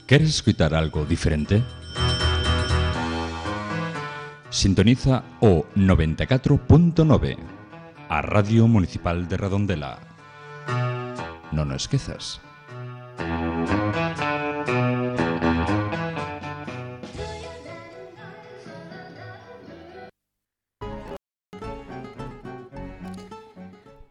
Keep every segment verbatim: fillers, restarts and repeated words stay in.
¿Quieres escuchar algo diferente? Sintoniza o noventa e catro punto nove, a Radio Municipal de Redondela. Non o esquezas.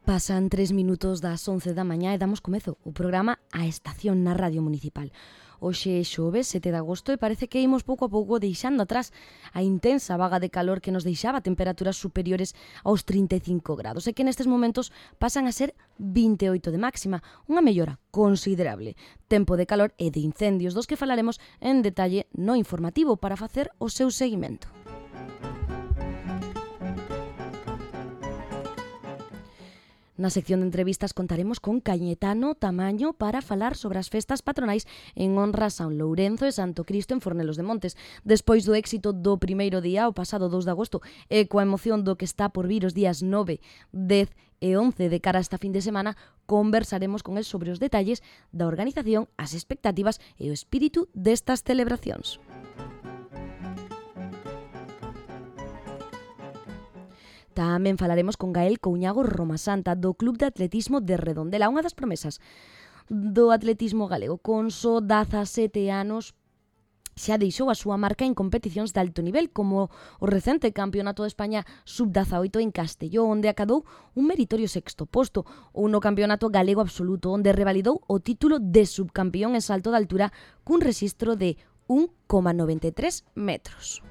Pasan tres minutos das once da mañá e damos comezo o programa A Estación na Radio Municipal. Hoxe é xoves, sete de agosto, e parece que imos pouco a pouco deixando atrás a intensa vaga de calor que nos deixaba temperaturas superiores aos trinta e cinco grados e que nestes momentos pasan a ser vinte e oito de máxima, unha mellora considerable. Tempo de calor e de incendios dos que falaremos en detalle no informativo para facer o seu seguimento. Na sección de entrevistas contaremos con Cañetano Tamaño para falar sobre as festas patronais en honra a San Lourenzo e Santo Cristo en Fornelos de Montes. Despois do éxito do primeiro día, o pasado dous de agosto, e coa emoción do que está por vir os días nove, dez e once de cara a esta fin de semana, conversaremos con el sobre os detalles da organización, as expectativas e o espírito destas celebracións. Tamén falaremos con Gael Couñago Romasanta do Club de Atletismo de Redondela, unha das promesas do atletismo galego. Con só dezasete anos xa deixou a súa marca en competicións de alto nivel, como o recente Campeonato de España sub dezaoito en Castelló, onde acadou un meritorio sexto posto, ou no Campeonato Galego Absoluto, onde revalidou o título de subcampeón en salto de altura cun rexistro de un coma noventa e tres metros.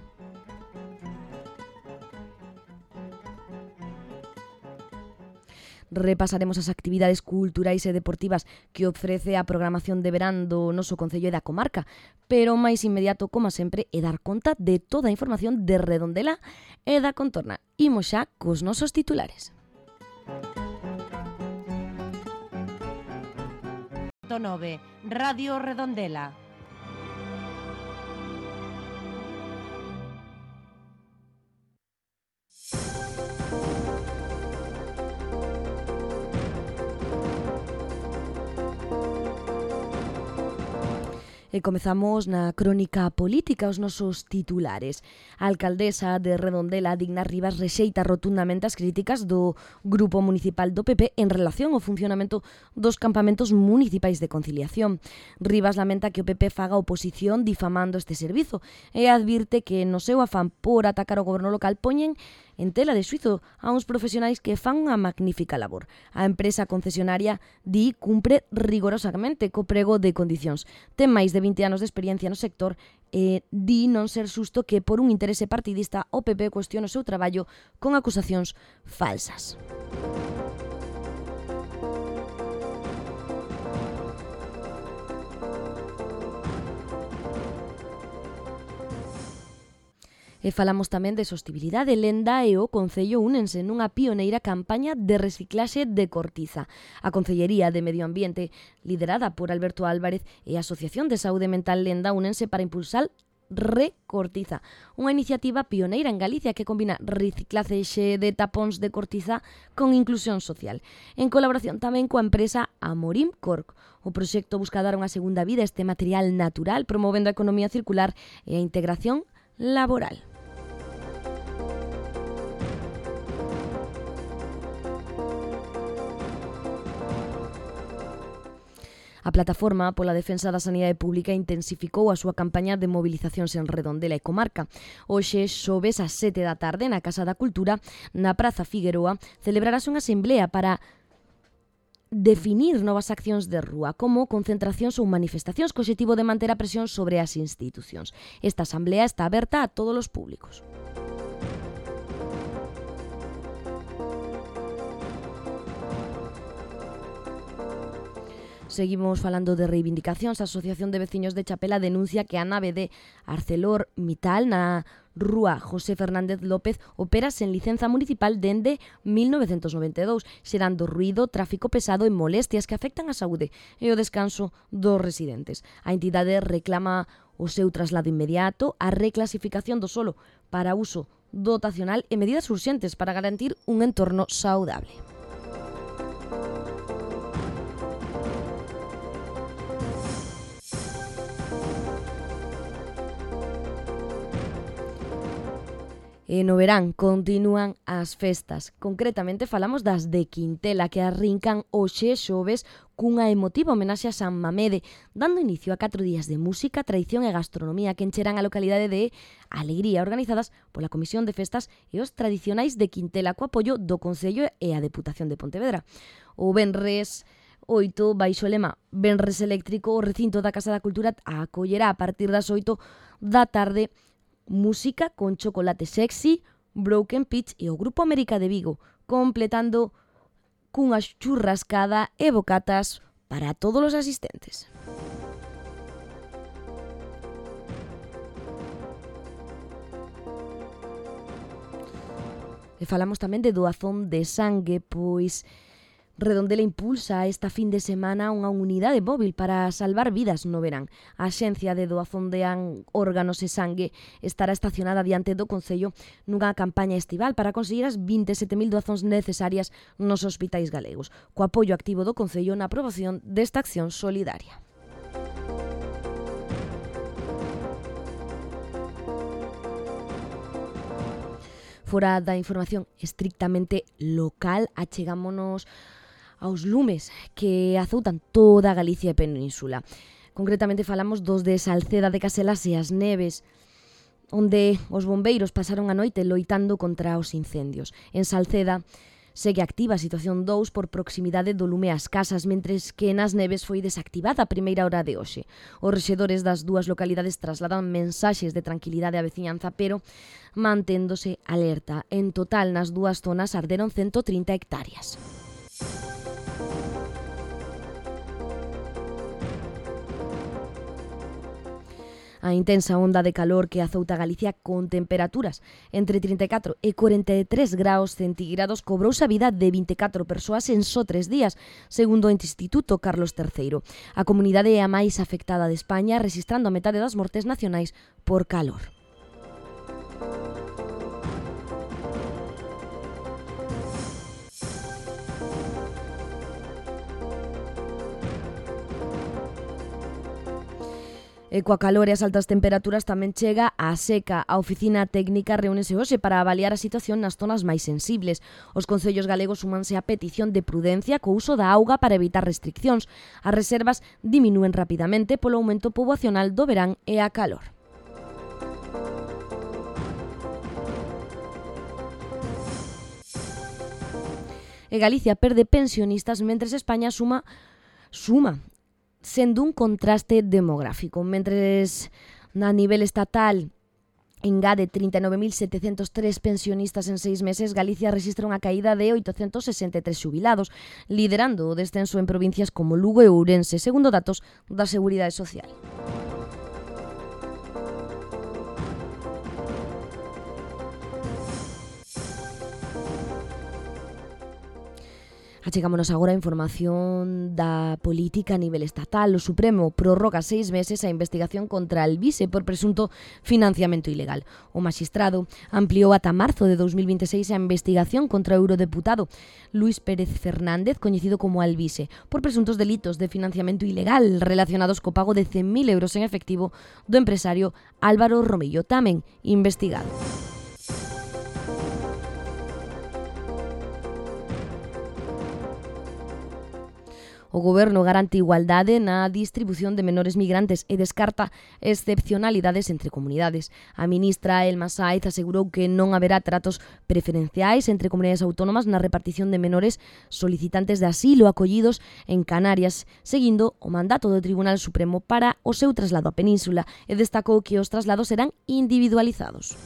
Repasaremos as actividades culturais e deportivas que ofrece a programación de verán do noso concello e da comarca, pero o máis inmediato, como sempre, é dar conta de toda a información de Redondela e da contorna. Imos xa cos nosos titulares. nove, Radio Redondela. E comezamos na crónica política, os nosos titulares. A alcaldesa de Redondela, Digna Rivas, rexeita rotundamente as críticas do Grupo Municipal do P P en relación ao funcionamento dos campamentos municipais de conciliación. Rivas lamenta que o P P faga oposición difamando este servizo e advirte que no seu afán por atacar o goberno local poñen en tela de xuízo a uns profesionais que fan unha magnífica labor. A empresa concesionaria di cumpre rigorosamente co prego de condicións. Ten máis de vinte anos de experiencia no sector e di non ser xusto que por un interese partidista o P P cuestione o seu traballo con acusacións falsas. E falamos tamén de sostibilidade. Lenda e o Concello únense nunha pioneira campaña de reciclaxe de cortiza. A Concellería de Medio Ambiente, liderada por Alberto Álvarez, e a Asociación de Saúde Mental Lenda únense para impulsar Recortiza, unha iniciativa pioneira en Galicia que combina reciclaxe de tapóns de cortiza con inclusión social, en colaboración tamén coa empresa Amorim Cork. O proxecto busca dar unha segunda vida a este material natural, promovendo a economía circular e a integración laboral. A Plataforma pola Defensa da Sanidade Pública intensificou a súa campaña de movilizacións en Redondela e comarca. Hoxe, xoves ás sete da tarde, na Casa da Cultura, na Praza Figueroa, celebrarase unha asemblea para definir novas accións de rúa, como concentracións ou manifestacións co obxectivo de manter a presión sobre as institucións. Esta asamblea está aberta a todos os públicos. Seguimos falando de reivindicacións. A Asociación de Veciños de Chapela denuncia que a nave de ArcelorMittal na rúa José Fernández López opera sen licenza municipal dende mil novecentos noventa e dous, xerando ruído, tráfico pesado e molestias que afectan a saúde e o descanso dos residentes. A entidade reclama o seu traslado inmediato, a reclasificación do solo para uso dotacional e medidas urxentes para garantir un entorno saudable. E no verán continúan as festas. Concretamente falamos das de Quintela, que arrincan hoxe xoves cunha emotiva homenaxe a San Mamede, dando inicio a catro días de música, tradición e gastronomía que encherán a localidade de Alegría, organizadas pola Comisión de Festas e os Tradicionais de Quintela, co apoio do Concello e a Deputación de Pontevedra. O venres oito, baixo o lema Venres Eléctrico, o recinto da Casa da Cultura acollerá a partir das oito da tarde música con Chocolate Sexy, Broken Pitch e o Grupo América de Vigo, completando cunha churrascada e bocatas para todos os asistentes. E falamos tamén de doazón de sangue, pois Redondela impulsa esta fin de semana unha unidade móvil para salvar vidas no verán. A Axencia de Doazón de Órganos e Sangue estará estacionada diante do Concello nunha campaña estival para conseguir as vinte e sete mil doazóns necesarias nos hospitais galegos, co apoio activo do Concello na aprobación desta acción solidaria. Fora da información estrictamente local, achegámonos aos lumes que azoutan toda a Galicia e Península. Concretamente falamos dos de Salceda de Caselas e as Neves, onde os bombeiros pasaron a noite loitando contra os incendios. En Salceda segue activa a situación dous por proximidade do lume ás casas, mentres que nas Neves foi desactivada a primeira hora de hoxe. Os rexedores das dúas localidades trasladan mensaxes de tranquilidade á veciñanza, pero manténdose alerta. En total, nas dúas zonas arderon ciento trinta hectáreas. A intensa onda de calor que azouta Galicia con temperaturas entre trinta e catro e cuarenta e tres graus centígrados cobrouse a vida de vinte e catro persoas en só tres días, segundo o Instituto Carlos terceiro. A comunidade é a máis afectada de España, rexistrando a metade das mortes nacionais por calor. E coa calor e as altas temperaturas tamén chega a seca. A Oficina Técnica reúnese hoxe para avaliar a situación nas zonas máis sensibles. Os concellos galegos súmanse á petición de prudencia co uso da auga para evitar restriccións. As reservas diminúen rapidamente polo aumento poboacional do verán e a calor. E Galicia perde pensionistas mentres España suma suma sendo un contraste demográfico. Mentres a nivel estatal engade trinta e nove mil setecentos tres pensionistas en seis meses, Galicia rexistra unha caída de oitocentos sesenta e tres xubilados, liderando o descenso en provincias como Lugo e Ourense, segundo datos da Seguridade Social. Achegámonos agora a información da política a nivel estatal. O Supremo prorroga seis meses a investigación contra Alvise por presunto financiamento ilegal. O magistrado ampliou ata marzo de dos mil vinte e seis a investigación contra o eurodeputado Luís Pérez Fernández, coñecido como Alvise, por presuntos delitos de financiamento ilegal relacionados co pago de cen mil euros en efectivo do empresario Álvaro Romillo, tamén investigado. O Goberno garante igualdade na distribución de menores migrantes e descarta excepcionalidades entre comunidades. A ministra Elma Sáez asegurou que non haberá tratos preferenciais entre comunidades autónomas na repartición de menores solicitantes de asilo acollidos en Canarias, seguindo o mandato do Tribunal Supremo para o seu traslado á Península, e destacou que os traslados serán individualizados.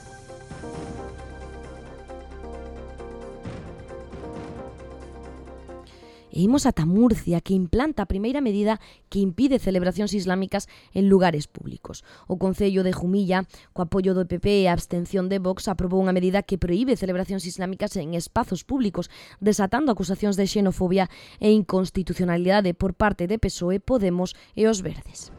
E imos ata Murcia, que implanta a primeira medida que impide celebracións islámicas en lugares públicos. O Concello de Jumilla, co apoio do P P e a abstención de Vox, aprobou unha medida que proíbe celebracións islámicas en espazos públicos, desatando acusacións de xenofobia e inconstitucionalidade por parte de P S O E, Podemos e os Verdes.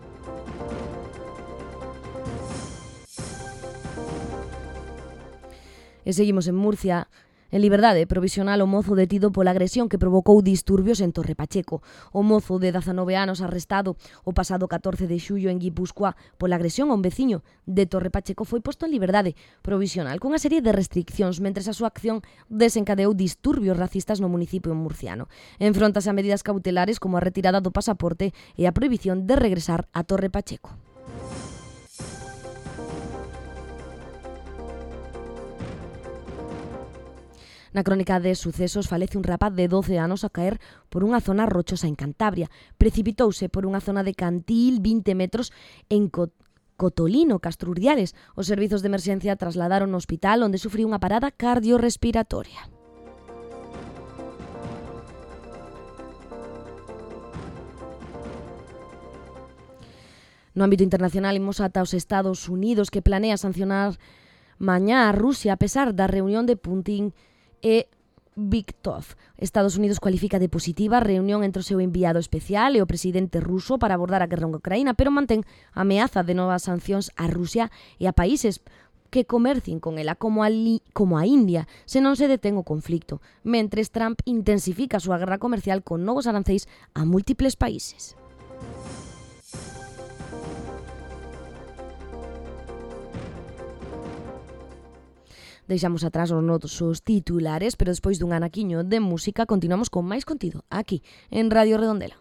E seguimos en Murcia. En liberdade provisional o mozo detido pola agresión que provocou disturbios en Torre Pacheco. O mozo de dezanove anos arrestado o pasado catorce de xullo en Guipúzcoa pola agresión a un veciño de Torre Pacheco foi posto en liberdade provisional cunha serie de restriccións mentres a súa acción desencadeou disturbios racistas no municipio murciano. Enfróntase a medidas cautelares como a retirada do pasaporte e a prohibición de regresar a Torre Pacheco. Na crónica de sucesos falece un rapaz de doce anos a caer por unha zona rochosa en Cantabria. Precipitouse por unha zona de Cantil, vinte metros, en Cot Cotolino, Castrurdiales. Os servizos de emerxencia trasladaron ao hospital onde sufriu unha parada cardiorrespiratoria. No ámbito internacional imos ata os Estados Unidos, que planea sancionar mañá a Rusia a pesar da reunión de Putin e Viktor. Estados Unidos cualifica de positiva a reunión entre o seu enviado especial e o presidente ruso para abordar a guerra en Ucraína, pero mantén a ameaza de novas sancións a Rusia e a países que comercien con ela, como a, como a India, se non se detén o conflicto, mentres Trump intensifica a súa guerra comercial con novos arancéis a múltiples países. Deixamos atrás os nosos titulares, pero despois dun anaquiño de música continuamos con máis contido aquí, en Radio Redondela.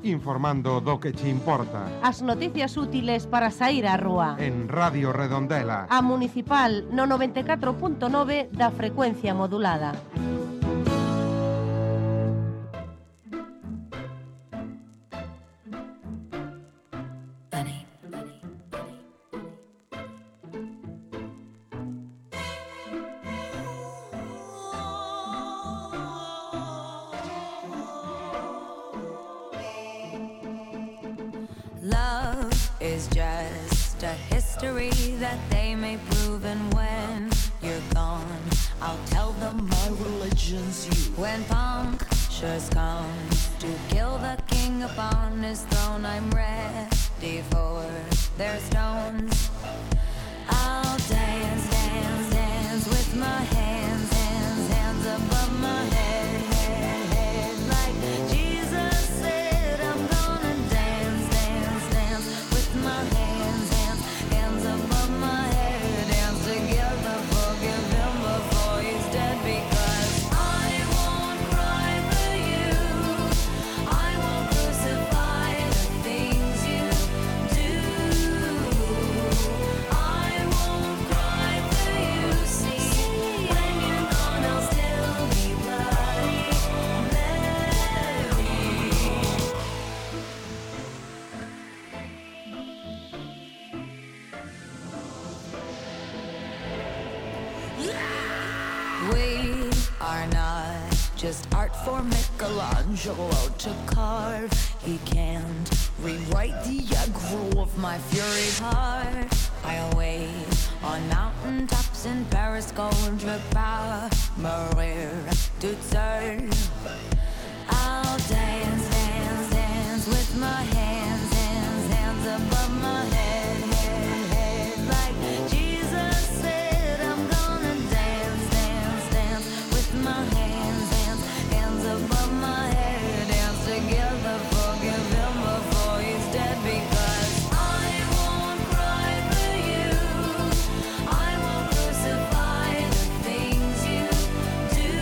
Informando do que che importa. As noticias útiles para sair á rúa. En Radio Redondela. A Municipal no noventa e catro punto nove da frecuencia modulada. Love is just a history that they may prove, and when you're gone, I'll tell them my religion's you. When punctures come to kill the king upon his throne, I'm ready for their stones. I'll dance, dance, dance with my hands, hands, hands above my head, head, head, like Jesus said. I'm gonna dance, dance, dance with my hands, hands, hands above my head, dance together, forgive him before he's dead, because I won't cry for you, I won't crucify the things you do, I won't cry for you, see, when you're gone I'll still be bloody Mary. We are not just art for Michelangelo to carve. He can't rewrite the aggro of my fury heart. I'll wait on mountain tops in Paris, contre pas mourir toute seule. I'll dance, dance, dance with my hands, hands, hands above my head, head, head, like Jesus said. I'm gonna dance, dance, dance with my hands, hands, hands above my head, dance together, forgive him before he's dead, because I won't cry for you, I won't crucify the things you do,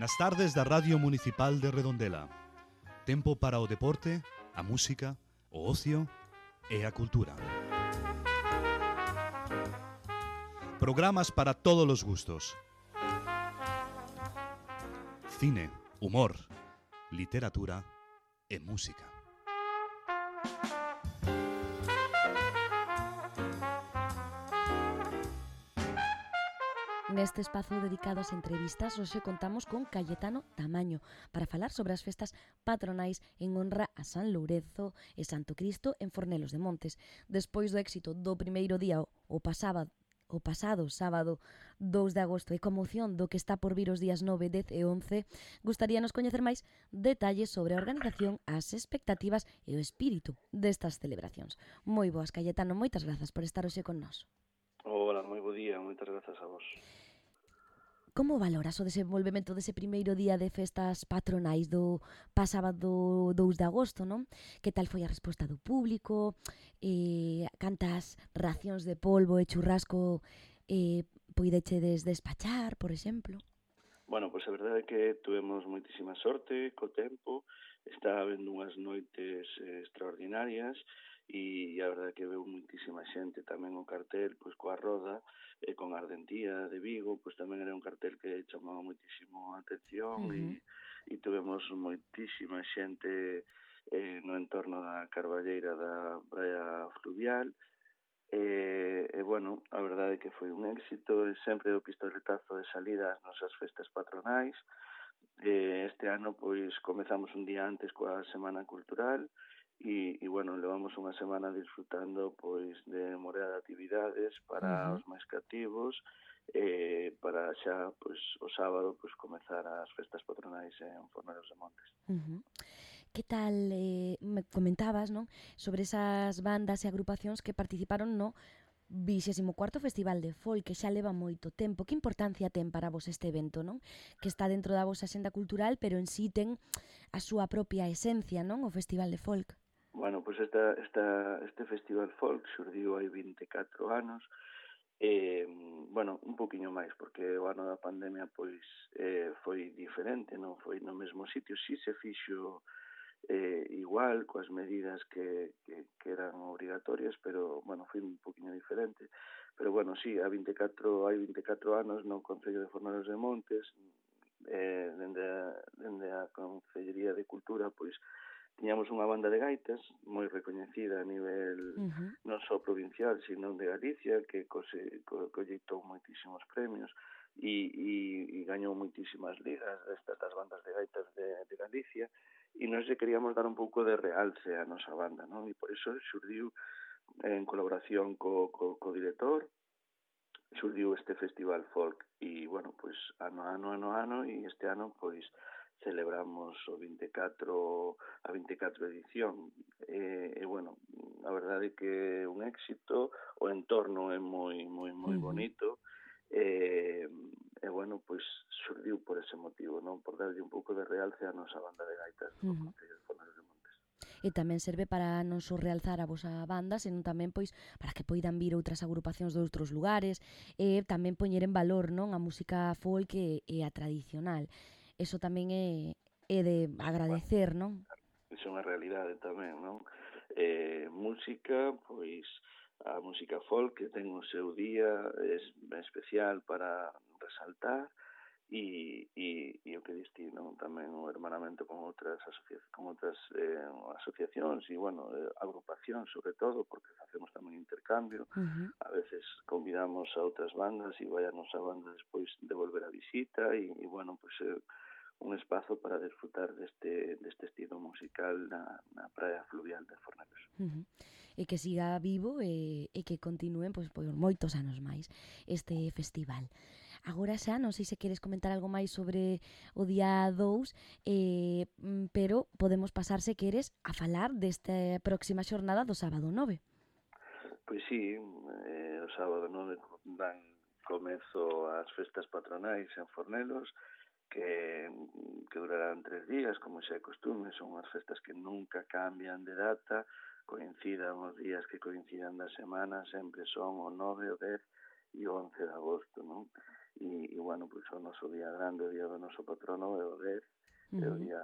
Nas tardes da Radio Municipal de Redondela. Tempo para o deporte, a música, o ocio e a cultura. Programas para todos os gustos. Cine, humor, literatura e música. Neste espazo dedicado ás entrevistas, hoxe contamos con Cayetano Tamaño para falar sobre as festas patronais en honra a San Lourenzo e Santo Cristo en Fornelos de Montes. Despois do éxito do primeiro día o pasado o pasado sábado dous de agosto e como opción do que está por vir os días nove, dez e once, gustaríanos coñecer máis detalles sobre a organización, as expectativas e o espírito destas celebracións. Moi boas, Cayetano, moitas grazas por estar hoxe con nós. Hola, moi bo día, moitas grazas a vos. Como valoras o desenvolvemento dese primeiro día de festas patronais do pasado dous de agosto, non? Que tal foi a resposta do público? Eh, cantas racións de polvo e churrasco eh, poidechedes despachar, por exemplo? Bueno, pois a verdade é que tuvemos moitísima sorte co tempo, está habendo unhas noites eh, extraordinarias, e a verdade é que veu moitísima xente tamén o cartel, pois coa roda, e con a Ardentía de Vigo, pois tamén era un cartel que chamaba moitísimo a atención, uh-huh. e, e tuvemos moitísima xente eh, no entorno da Carballeira da praia fluvial, e, e bueno, a verdade é que foi un éxito, e sempre o pistoletazo de salida ás nosas festas patronais. E este ano, pois, comezamos un día antes coa Semana Cultural, E, e, bueno, levamos unha semana disfrutando, pois, de morea de actividades para uh-huh. os máis cativos, e para xa, pois, o sábado, pois, comezar as festas patronais en Fornelos de Montes. Uh-huh. Que tal, eh, me comentabas, non, sobre esas bandas e agrupacións que participaron no vixésimo cuarto Festival de Folk, que xa leva moito tempo. Que importancia ten para vos este evento, non? Que está dentro da vosa axenda cultural, pero en sí ten a súa propia esencia, non? O Festival de Folk. Bueno, pois esta, esta, este Festival Folk xurdiu hai vinte e catro anos, e, bueno, un poquinho máis, porque o ano da pandemia, pois, eh, foi diferente, non foi no mesmo sitio, si se fixo eh, igual, coas medidas que, que, que eran obrigatorias, pero, bueno, foi un poquinho diferente. Pero, bueno, sí, hai vinte e catro, hai vinte e catro anos no Concello de Fornelos de Montes, eh, dende, a, dende a Concellería de Cultura, pois, tiñamos unha banda de gaitas moi recoñecida a nivel uh-huh. non só provincial, sino de Galicia, que cose, co, colleitou moitísimos premios e, e, e gañou moitísimas ligas destas das bandas de gaitas de, de Galicia, e nós lle queríamos dar un pouco de realce a nosa banda, non? E por iso xurdiu en colaboración co, co, co director, xurdiu este Festival Folk, e, bueno, pois, ano, ano, ano, ano, e este ano, pois, celebramos o vinte e catro, a vinte e catro edición, e, e bueno, a verdade é que é un éxito, o entorno é moi, moi, moi bonito, e, e bueno, pois xurdiu por ese motivo, non? Por darlle un pouco de realce a nosa banda de gaitas do uh-huh. Concello de Fornelos de Montes. E tamén serve para non só realzar a vosa banda, senón tamén pois para que poidan vir outras agrupacións de outros lugares, e tamén poñer en valor, non, a música folk e, e a tradicional. Eso tamén é, é de agradecer, non? Iso é unha realidade tamén, non? Eh, música, pois, a música folk que ten o seu día é especial para resaltar, e, e, e o que distí, non? Tamén o hermanamento con outras asociacións, con outras eh, asociacións e, bueno, eh, agrupacións, sobre todo, porque facemos tamén intercambio. Uh-huh. A veces convidamos a outras bandas e vai a nosa banda despois de volver a visita, e, e bueno, pois eh, un espazo para disfrutar deste, deste estilo musical na, na praia fluvial de Fornelos. Uh-huh. E que siga vivo e, e que continúen pois, por moitos anos máis este festival. Agora xa, non sei se queres comentar algo máis sobre o día dous, eh, pero podemos pasar, se queres, a falar desta próxima xornada do sábado nove. Pois sí, eh, o sábado nove dan comezo as festas patronais en Fornelos, que, que durarán tres días, como xa é costume, son unhas festas que nunca cambian de data, coincidan os días que coincidan da semana, sempre son o nove, o dez e o once de agosto, non? e, e bueno, pois o noso día grande, o día do noso patrono é o dez, uh -huh. é o día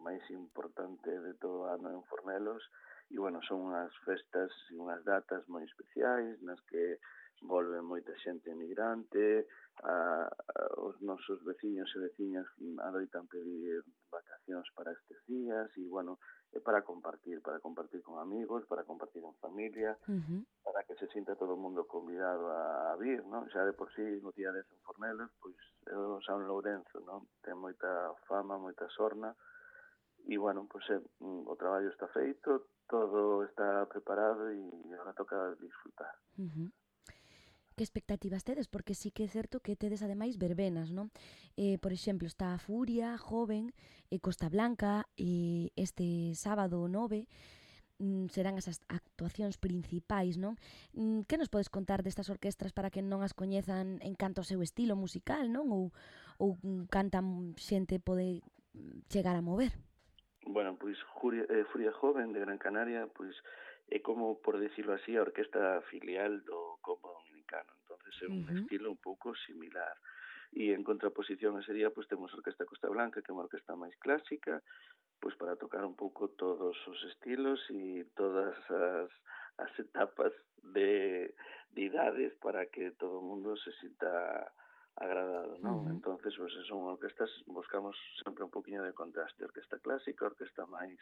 máis importante de todo o ano en Fornelos, e bueno, son unhas festas e unhas datas moi especiais nas que volve moita xente emigrante, a, a, os nosos veciños e veciñas adoitan pedir vacacións para estes días, e bueno, é para compartir, para compartir con amigos, para compartir en familia, uh -huh. para que se sinta todo o mundo convidado a vir, non? Xa de por sí, no día dez en Fornelos, pois é o San Lourenzo, non? Ten moita fama, moita sorna, e bueno, pois é, o traballo está feito, todo está preparado e agora toca disfrutar. Uh -huh. Que expectativas tedes? Porque sí que é certo que tedes ademais verbenas, non? Eh, por exemplo, está a Furia, Joven, e Costa Blanca, e este sábado nove mm, serán esas actuacións principais, non? Mm, que nos podes contar destas orquestras para que non as coñezan en canto ao seu estilo musical, non? Ou, ou cantan xente pode chegar a mover? Bueno, pois Furia, eh, Furia Joven de Gran Canaria, pois é como, por decirlo así, a orquesta filial do Combo Dominicano. Entonces é un uh -huh. estilo un pouco similar. E en contraposición a ese día, pois temos a Orquesta Costa Blanca, que é unha orquesta máis clásica, pois para tocar un pouco todos os estilos e todas as, as etapas de, de idades para que todo o mundo se sinta agradado, non? Uh -huh. Entonces, pois, son orquestas, buscamos sempre un poquinho de contraste, orquesta clásica, orquesta máis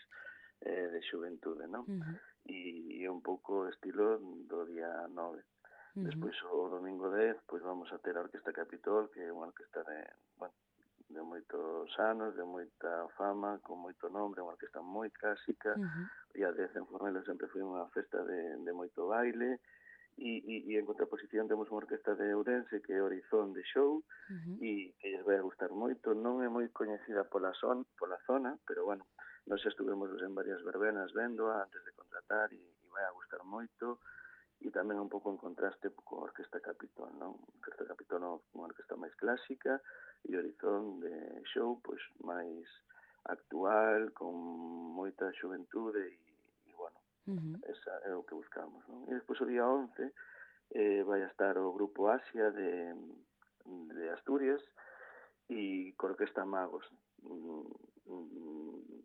eh, de xuventude, non? Uh -huh. E é un pouco estilo do día nove. Uh -huh. Despois, o domingo dez, pois vamos a ter a Orquesta Capitol, que é unha orquesta de, bueno, de moitos anos, de moita fama, con moito nombre, unha orquesta moi clásica. Uh -huh. O día dez en Fornelos sempre foi unha festa de, de moito baile, e, e, e en contraposición temos unha orquesta de Ourense que é Horizon de Show, uh -huh. e que lles vai a gustar moito. Non é moi coñecida pola, son, pola zona, pero bueno, nós xa estuvemos en varias verbenas véndoa antes de contratar, e, e vai a gustar moito, e tamén un pouco en contraste con a Orquesta Capitol, non? A Orquesta Capitol é unha orquesta máis clásica, e Horizon de Show, pois, máis actual, con moita xuventude, e, e bueno, uh -huh. esa é o que buscamos, non? E despois o día once eh, vai a estar o Grupo Asia de, de Asturias, e con Orquesta Magos,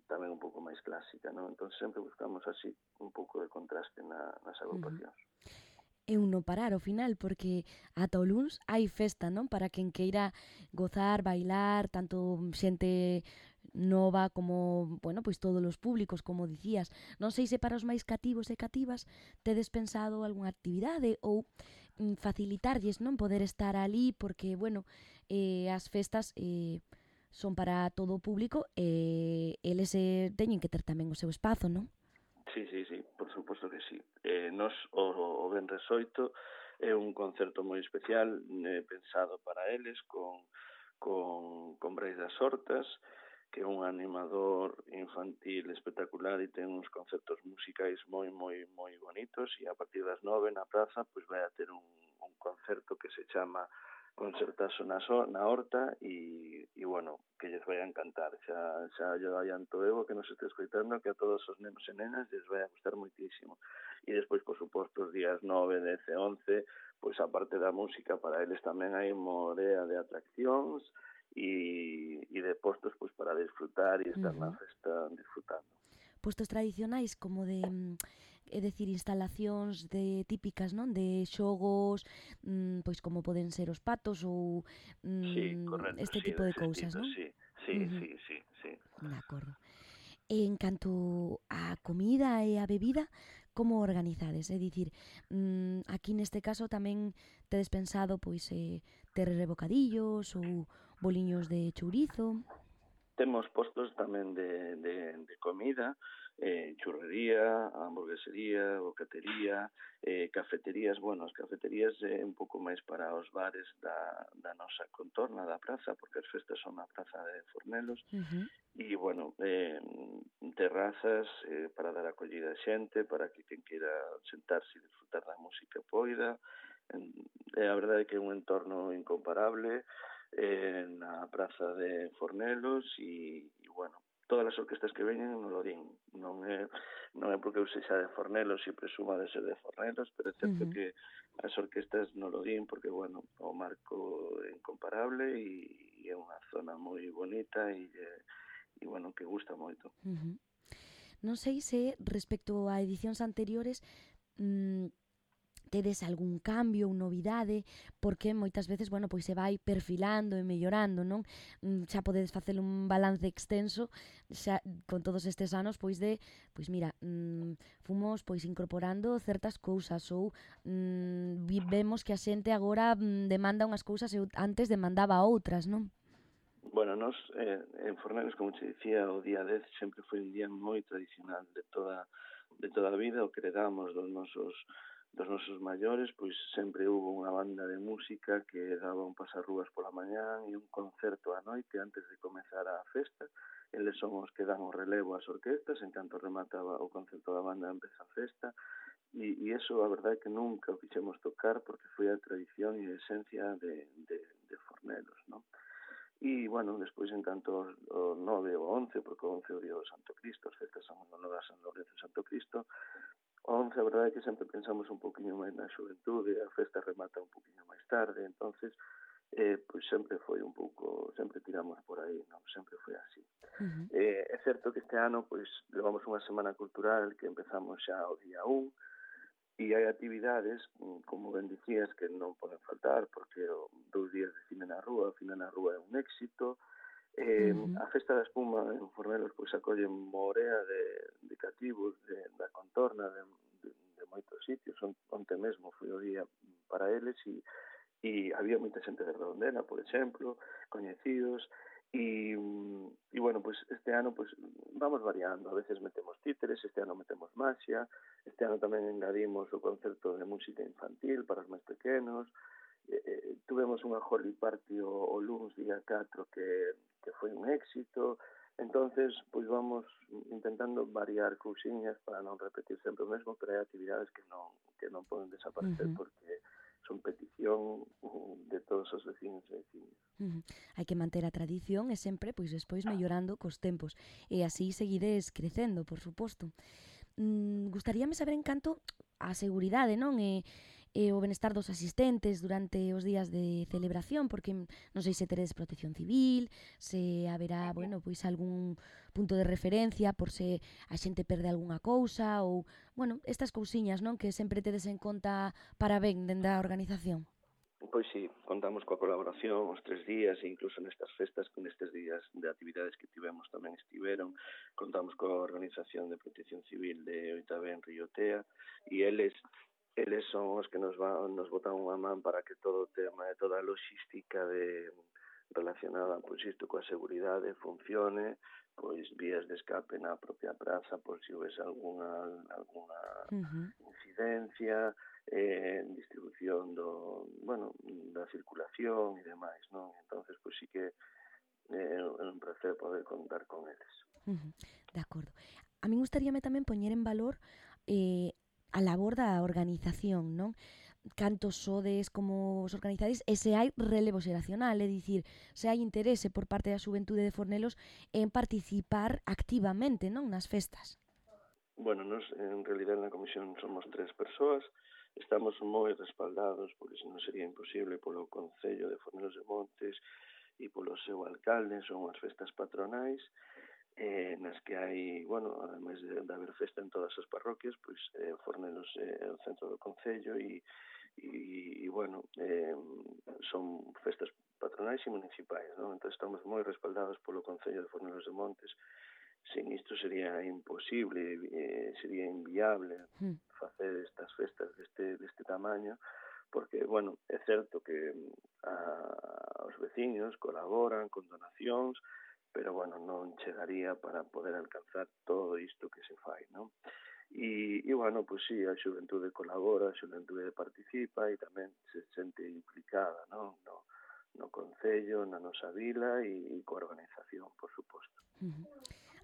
tamén un pouco máis clásica, non? Entón sempre buscamos así un pouco de contraste na, nas agrupacións. É un non parar ao final, porque ata o luns hai festa, non? Para quen queira gozar, bailar, tanto xente nova como, bueno, pois todos os públicos, como dicías. Non sei se para os máis cativos e cativas tedes pensado algunha actividade ou facilitarlles, non? Poder estar ali, porque, bueno, eh, as festas eh, son para todo o público e eles eh, teñen que ter tamén o seu espazo, non? Sí, sí, sí, por suposto que sí. Eh, nos, o, o Venres oito é un concerto moi especial, eh, pensado para eles, con, con, con Brais das Hortas, que é un animador infantil espectacular e ten uns concertos musicais moi, moi, moi bonitos, e a partir das nove na praza pois vai a ter un, un concerto que se chama Concertazo na, so, na Horta, e, e bueno, que lles vai a encantar. Xa, xa yo adianto eu que nos este escoitando que a todos os nenos e nenas lles vai a gustar moitísimo. E despois, por suposto, os días nove, dez e once, pois a parte da música, para eles tamén hai morea de atraccións e, e de postos pois para disfrutar e estar uh -huh. na festa disfrutando. Postos tradicionais como de, é dicir, instalacións de típicas, non? De xogos, mmm, pois como poden ser os patos ou mmm, sí, correcto, este sí, tipo de cousas, non? Sí, sí, uh -huh. sí, sí, sí. De acordo. En canto a comida e a bebida, como organizades? É dicir, mmm, aquí neste caso tamén tedes pensado pois eh, ter rebocadillos ou boliños de chourizo? Temos postos tamén de, de, de comida, eh, churrería, hamburguesería, bocatería, eh, cafeterías. Bueno, as cafeterías é eh, un pouco máis para os bares da, da nosa contorna da praza, porque as festas son na praza de Fornelos. Uh -huh. E, bueno, eh, terrazas eh, para dar acollida a xente, para que quen queira sentarse e disfrutar da música poida. Eh, a verdade é que é un entorno incomparable, eh, na praza de Fornelos, e, e bueno, todas as orquestas que veñen non lo din. Non é, non é porque eu sexa de Fornelos e presuma de ser de Fornelos, pero é certo uh -huh. que as orquestas non lo din porque, bueno, o marco é incomparable e, e é unha zona moi bonita e, e bueno, que gusta moito. Uh -huh. Non sei se respecto a edicións anteriores mmm, tedes algún cambio ou novidade, porque moitas veces, bueno, pois se vai perfilando e mellorando, non? Xa podedes facer un balance extenso xa con todos estes anos, pois de, pois mira, mmm, fomos pois incorporando certas cousas ou mmm, vemos que a xente agora mmm, demanda unhas cousas e antes demandaba outras, non? Bueno, nos eh, en Fornelos, como te dicía, o día dez sempre foi un día moi tradicional de toda de toda a vida, o que heredamos dos nosos dos nosos maiores, pois sempre hubo unha banda de música que daba un pasarrúas pola mañán e un concerto á noite antes de comezar a festa. Eles son os que dan o relevo ás orquestas, en canto remataba o concerto da banda empeza a festa, e, e eso a verdade é que nunca o quixemos tocar porque foi a tradición e a esencia de, de, de Fornelos, non? E, bueno, despois en canto o nove ou once, porque o once o día do Santo Cristo, as festas son no da San Lorenzo e Santo Cristo, o once, a verdade é que sempre pensamos un poquinho máis na xuventude, a festa remata un poquinho máis tarde, entonces, eh, pois sempre foi un pouco, sempre tiramos por aí, non? Sempre foi así. Uh-huh. eh, é certo que este ano, pois, levamos unha semana cultural que empezamos xa o día un, e hai actividades, como ben dicías, que non poden faltar, porque o dous días de cine na rúa, o cine na rúa é un éxito. Eh, uh-huh. A Festa da Espuma en Fornelos pois acolle morea de, de cativos de, da contorna de, de, de moitos sitios. Onte mesmo foi o día para eles e, e había moita xente de Redondela, por exemplo, coñecidos. E, e bueno, pues este ano pues vamos variando, a veces metemos títeres, este ano metemos maxia, este ano tamén engadimos o concerto de música infantil para os máis pequenos, eh, eh, tuvemos unha Holy Party o, o luns día catro que, que foi un éxito, entonces pues vamos intentando variar cousiñas para non repetir sempre o mesmo, pero hai actividades que non, que non poden desaparecer uh-huh. porque son petición de todos os vecinos e vecinas. Uh-huh. Hai que manter a tradición e sempre, pois, despois mellorando cos tempos. E así seguides crecendo, por suposto. Mm, gustaríame saber en canto a seguridade, non? E, e o benestar dos asistentes durante os días de celebración, porque non sei se teredes protección civil, se haberá, bueno, pois algún punto de referencia por se a xente perde algunha cousa ou, bueno, estas cousiñas, non? Que sempre tedes en conta para ben dende a organización. Pois sí, contamos coa colaboración os tres días e incluso nestas festas, con estes días de actividades que tivemos tamén estiveron, contamos coa Organización de Protección Civil de Oitavén en Riotea e eles eles son os que nos van, nos botan unha man para que todo o tema e toda a logística de relacionada pois isto coa seguridade funcione, pois vías de escape na propia praza por se si houvese algunha algunha uh-huh. incidencia, eh, distribución do, bueno, da circulación e demais, non? Entonces, pois sí que é eh, un placer poder contar con eles. Uh-huh. De acordo. A mí gustaríame tamén poñer en valor eh, a labor da organización, non? Cantos sodes, como os organizades, e se hai relevo xeracional, é dicir, se hai interese por parte da xuventude de Fornelos en participar activamente, non, nas festas. Bueno, nos en realidad na comisión somos tres persoas, estamos moi respaldados, porque senón sería imposible, polo Concello de Fornelos de Montes e polo seu alcalde, son as festas patronais, eh, nas que hai, bueno, ademais de, de haber festa en todas as parroquias, pois eh, Fornelos é o centro do Concello e, e, e bueno, eh, son festas patronais e municipais, non? Entón estamos moi respaldados polo Concello de Fornelos de Montes. Sin isto sería imposible, eh, sería inviable facer estas festas deste, deste tamaño, porque, bueno, é certo que a, os veciños colaboran con donacións, pero, bueno, non chegaría para poder alcanzar todo isto que se fai, non? E, e bueno, pois sí, a xuventude colabora, a xuventude participa e tamén se sente implicada, non? No, no Concello, na nosa vila e, e coa organización, por suposto. Uh-huh.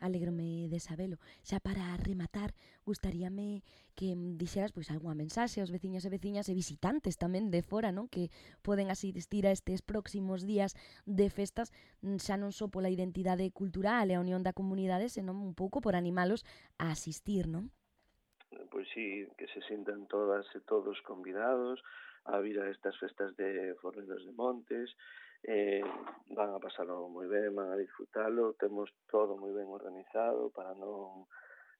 Alégrome de sabelo. Xa para rematar, gustaríame que dixeras pois algunha mensaxe aos veciños e veciñas e visitantes tamén de fora, non? Que poden asistir a estes próximos días de festas, xa non só pola identidade cultural e a unión da comunidade, senón un pouco por animalos a asistir, non? Pois sí, que se sintan todas e todos convidados a vir a estas festas de Fornelos de Montes. Eh, van a pasarlo moi ben, van a disfrutalo, temos todo moi ben organizado para non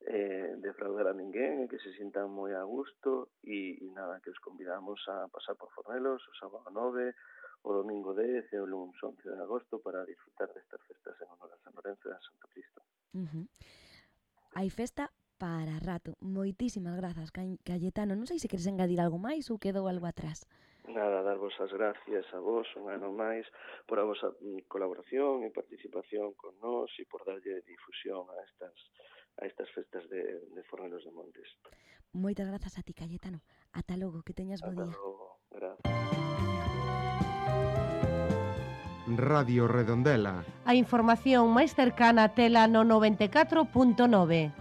eh, defraudar a ninguén e que se sintan moi a gusto e, e nada, que os convidamos a pasar por Fornelos o sábado nove, o domingo dez e o lunes once de agosto para disfrutar destas festas en honor a San Lorenzo e a Santo Cristo. Uh-huh. Hai festa para rato. Moitísimas grazas, Cayetano. Non sei se queres engadir algo máis ou quedou algo atrás. Nada, darvos as gracias a vos un ano máis por a vosa colaboración e participación con nós e por darlle difusión a estas a estas festas de, de Fornelos de Montes. Moitas grazas a ti, Cayetano. Ata logo, que teñas bo día. Ata logo, gracias. Radio Redondela. A información máis cercana tela no noventa e catro punto nove.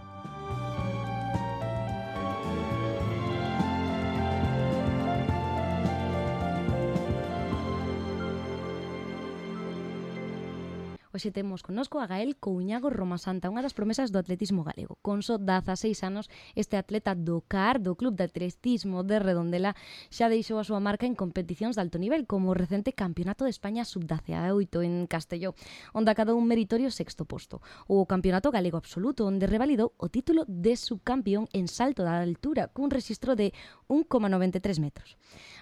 Hoxe temos connosco a Gael Couñago Romasanta, unha das promesas do atletismo galego. Con só dezaseis anos, este atleta do C A R, do Club de Atletismo de Redondela, xa deixou a súa marca en competicións de alto nivel, como o recente Campeonato de España sub dezaoito en Castelló, onde acadou un meritorio sexto posto. O Campeonato Galego Absoluto, onde revalidou o título de subcampeón en salto da altura, cun rexistro de un coma noventa e tres metros.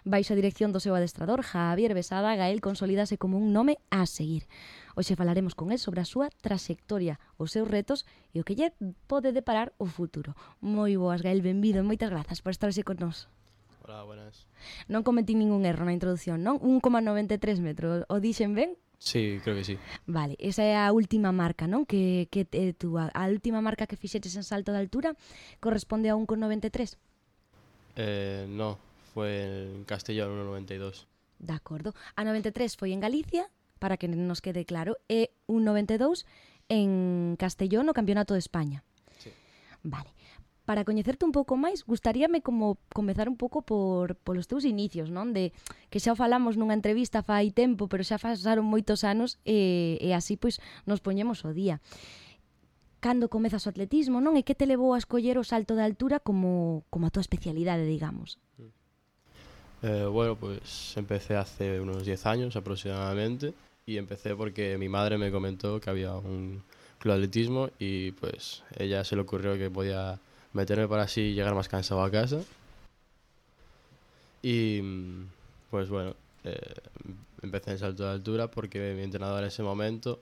Baixo a dirección do seu adestrador, Javier Besada, Gael consolídase como un nome a seguir. Hoxe falaremos con el sobre a súa trayectoria, os seus retos e o que lle pode deparar o futuro. Moi boas, Gael, benvido, moitas grazas por estar hoxe con nós. Hola, buenas. Non cometí ningún erro na introdución, non? un coma noventa e tres metros, o dixen ben? Sí, creo que sí. Vale, esa é a última marca, non? Que, que eh, tú, a, a última marca que fixeches en salto de altura corresponde a un coma noventa e tres? Eh, no, foi en Castellón, un noventa e dos. De acordo. A noventa e tres foi en Galicia, para que nos quede claro, e un noventa e dous en Castellón no Campeonato de España. Sí. Vale. Para coñecerte un pouco máis, gustaríame como comezar un pouco por polos teus inicios, non? De que xa o falamos nunha entrevista fai tempo, pero xa pasaron moitos anos e, e así pois nos poñemos o día. Cando comezas o atletismo, non? E que te levou a escoller o salto de altura como, como a tua especialidade, digamos? Eh, bueno, pues empecé hace unos diez años aproximadamente. Y empecé porque mi madre me comentó que había un club de atletismo y pues ella se le ocurrió que podía meterme para así llegar más cansado a casa. Y pues bueno, eh, empecé en salto de altura porque mi entrenador en ese momento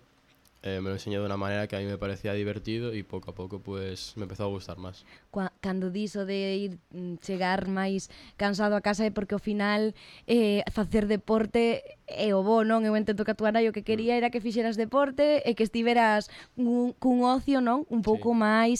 eh, me lo enseñó de una manera que a mí me parecía divertido y poco a poco pues me empezó a gustar máis. Cando diso de ir chegar máis cansado a casa é porque ao final eh, facer deporte é o bo, non? Eu entendo que a tua nai o que quería era que fixeras deporte e que estiveras cun, cun ocio, non? Un pouco sí. máis,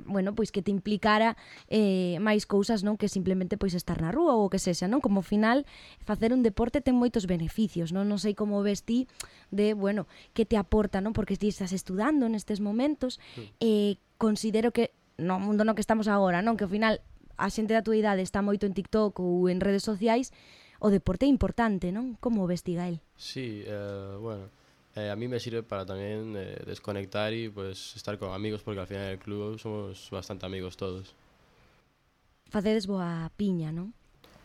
bueno, pois que te implicara eh, máis cousas, non? Que simplemente pois estar na rúa ou o que sexa, non? Como ao final facer un deporte ten moitos beneficios, non? Non sei como ves ti de, bueno, que te aporta, non? Porque ti estás estudando nestes momentos sí. e eh, considero que no mundo no que estamos agora, non? Que ao final a xente da tua idade está moito en TikTok ou en redes sociais, o deporte é importante, non? Como ves ti, Gael? Sí, eh, bueno, eh, a mí me sirve para también eh, desconectar y pues estar con amigos, porque al final en el club somos bastante amigos todos. Facedes boa piña, non?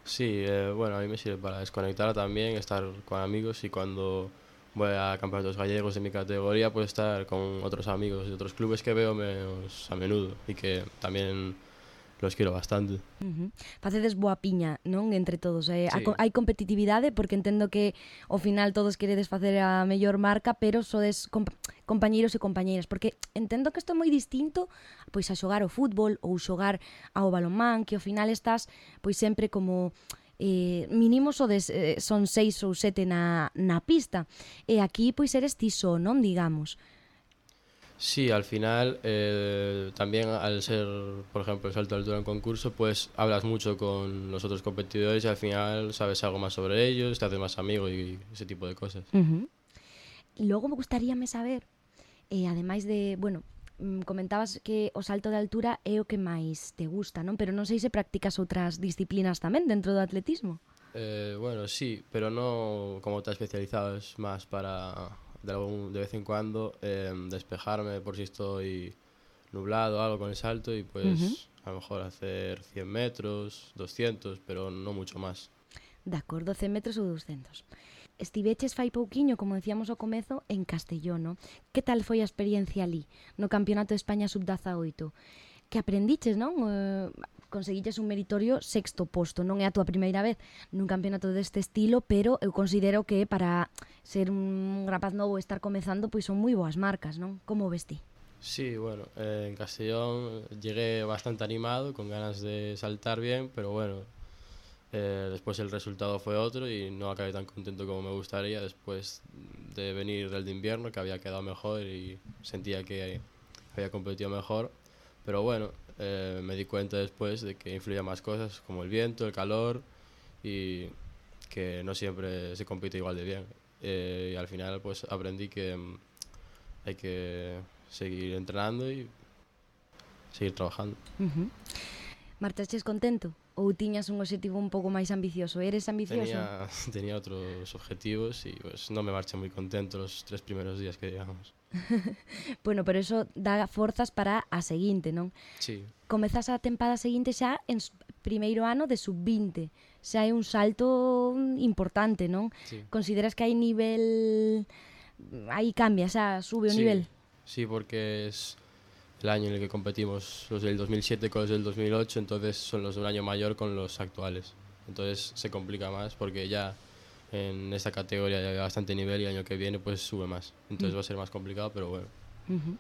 Sí, eh, bueno, a mí me sirve para desconectar también, estar con amigos y cuando voy a campeonatos gallegos de mi categoría, pues estar con otros amigos de otros clubes que veo menos a menudo y que también los quiero bastante. Uh-huh. Facedes boa piña, non? Entre todos. Eh? Sí. Hai competitividade, porque entendo que ao final todos queredes facer a mellor marca, pero sodes comp compañeiros e compañeiras, porque entendo que isto é moi distinto pois a xogar ao fútbol ou xogar ao balonmán, que ao final estás pois sempre como eh, mínimo sodes, eh, son seis ou sete na, na pista, e aquí pois eres ti só, non? Digamos. Sí, al final, eh, también al ser, por ejemplo, el salto de altura en concurso, pues hablas mucho con los otros competidores y al final sabes algo más sobre ellos, te haces más amigo y ese tipo de cosas. Uh-huh. Y luego me gustaríame saber, eh, ademais de, bueno, mm, comentabas que o salto de altura é o que máis te gusta, non? Pero non sei se practicas outras disciplinas tamén dentro do atletismo. Eh, bueno, sí, pero no como tan especializado, es más para de, algún, de vez en cuando eh, despejarme por si estoy nublado o algo con el salto y pues uh-huh. a lo mejor hacer cien metros, doscientos, pero no mucho más. De acordo, cen metros ou doscientos. Estiveches fai pouquiño, como decíamos ao comezo, en Castelló, no? Que tal foi a experiencia ali, no Campeonato de España sub dezaoito? Que aprendiches, non? Eh, conseguiches un meritorio sexto posto. Non é a túa primeira vez nun campeonato deste estilo, pero eu considero que para ser un rapaz novo e estar comezando, pois son moi boas marcas, non? Como ves ti? Sí, bueno, eh, en Castellón llegué bastante animado, con ganas de saltar bien, pero bueno, eh, después el resultado fue otro y no acabé tan contento como me gustaría después de venir del de invierno, que había quedado mejor y sentía que había competido mejor. Pero bueno, eh, me di cuenta después de que influían más cosas como el viento, el calor y que no siempre se compite igual de bien. Eh, y al final pues aprendí que mm, hay que seguir entrenando y seguir trabajando. Uh-huh. Marchaches contento? Ou tiñas un objetivo un pouco máis ambicioso? Eres ambicioso? Tenía, tenía otros objetivos y pues no me marché muy contento los tres primeros días que digamos. Bueno, pero eso dá forzas para a seguinte, non? Sí. Comezas a tempada seguinte xa en primeiro ano de sub vinte. Xa é un salto importante, non? Sí. Consideras que hai nivel... Aí cambia, xa sube o sí. nivel? Sí, porque es el año en el que competimos los del dos mil siete con los del dos mil ocho, entonces son los de un año mayor con los actuales. Entonces se complica más porque ya en esta categoría ya hay bastante nivel y el año que viene pues sube más. Entonces mm. va a ser más complicado, pero bueno. Uh-huh.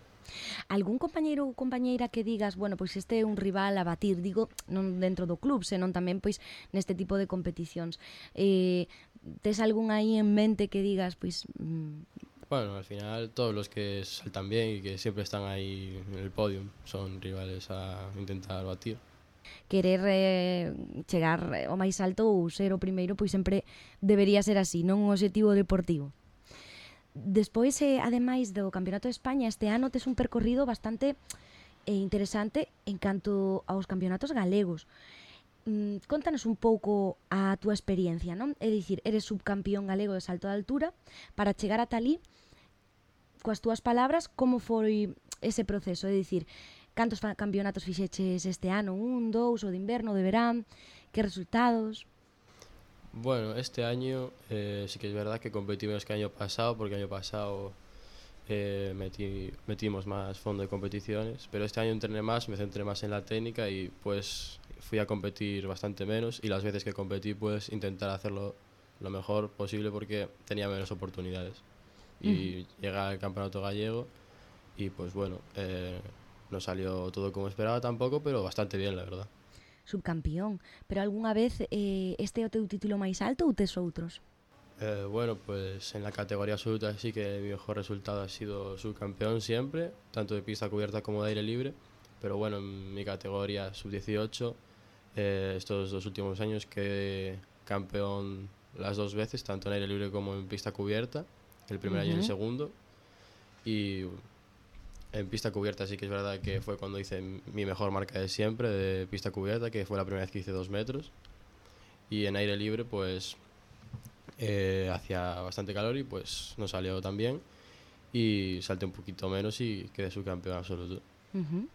Algún compañeiro ou compañeira que digas, bueno, pois este é un rival a batir, digo, non dentro do club, senón tamén pois neste tipo de competicións. Eh, tes algún aí en mente que digas, pois... Mm, Bueno, al final todos los que saltan bien y que siempre están ahí en el podium son rivales a intentar batir. Querer eh, chegar ao máis alto ou ser o primeiro, pois sempre debería ser así, non un objetivo deportivo. Despois, eh, ademais do Campeonato de España, este ano tes un percorrido bastante eh, interesante en canto aos campeonatos galegos. Mm, contanos un pouco a túa experiencia, non? É dicir, eres subcampeón galego de salto de altura, para chegar ata ali, coas túas palabras, como foi ese proceso? É dicir, cantos campeonatos fixeches este ano? Un, dous, o de inverno, o de verán? Que resultados? Bueno, este año eh, sí que es verdad que competí menos que el año pasado, porque el año pasado eh, metí, metimos más fondo de competiciones, pero este año entrené más, me centré más en la técnica y pues fui a competir bastante menos y las veces que competí pues intentar hacerlo lo mejor posible porque tenía menos oportunidades. Y uh-huh. llegué al campeonato gallego y pues bueno, eh, no salió todo como esperaba tampoco, pero bastante bien la verdad. Subcampeón, pero algunha vez eh, este é o teu título máis alto ou tes outros? Eh, bueno, pues en la categoría absoluta sí que mi mejor resultado ha sido subcampeón siempre, tanto de pista cubierta como de aire libre, pero bueno, en mi categoría sub dieciocho, eh, estos dos últimos años quedé campeón las dos veces, tanto en aire libre como en pista cubierta, el primer uh-huh. año y el segundo, y en pista cubierta sí que es verdad que fue cuando hice mi mejor marca de siempre de pista cubierta, que fue la primera vez que hice dos metros, y en aire libre pues eh, hacía bastante calor y pues no salió tan bien y salté un poquito menos y quedé subcampeón absoluto. Uh-huh.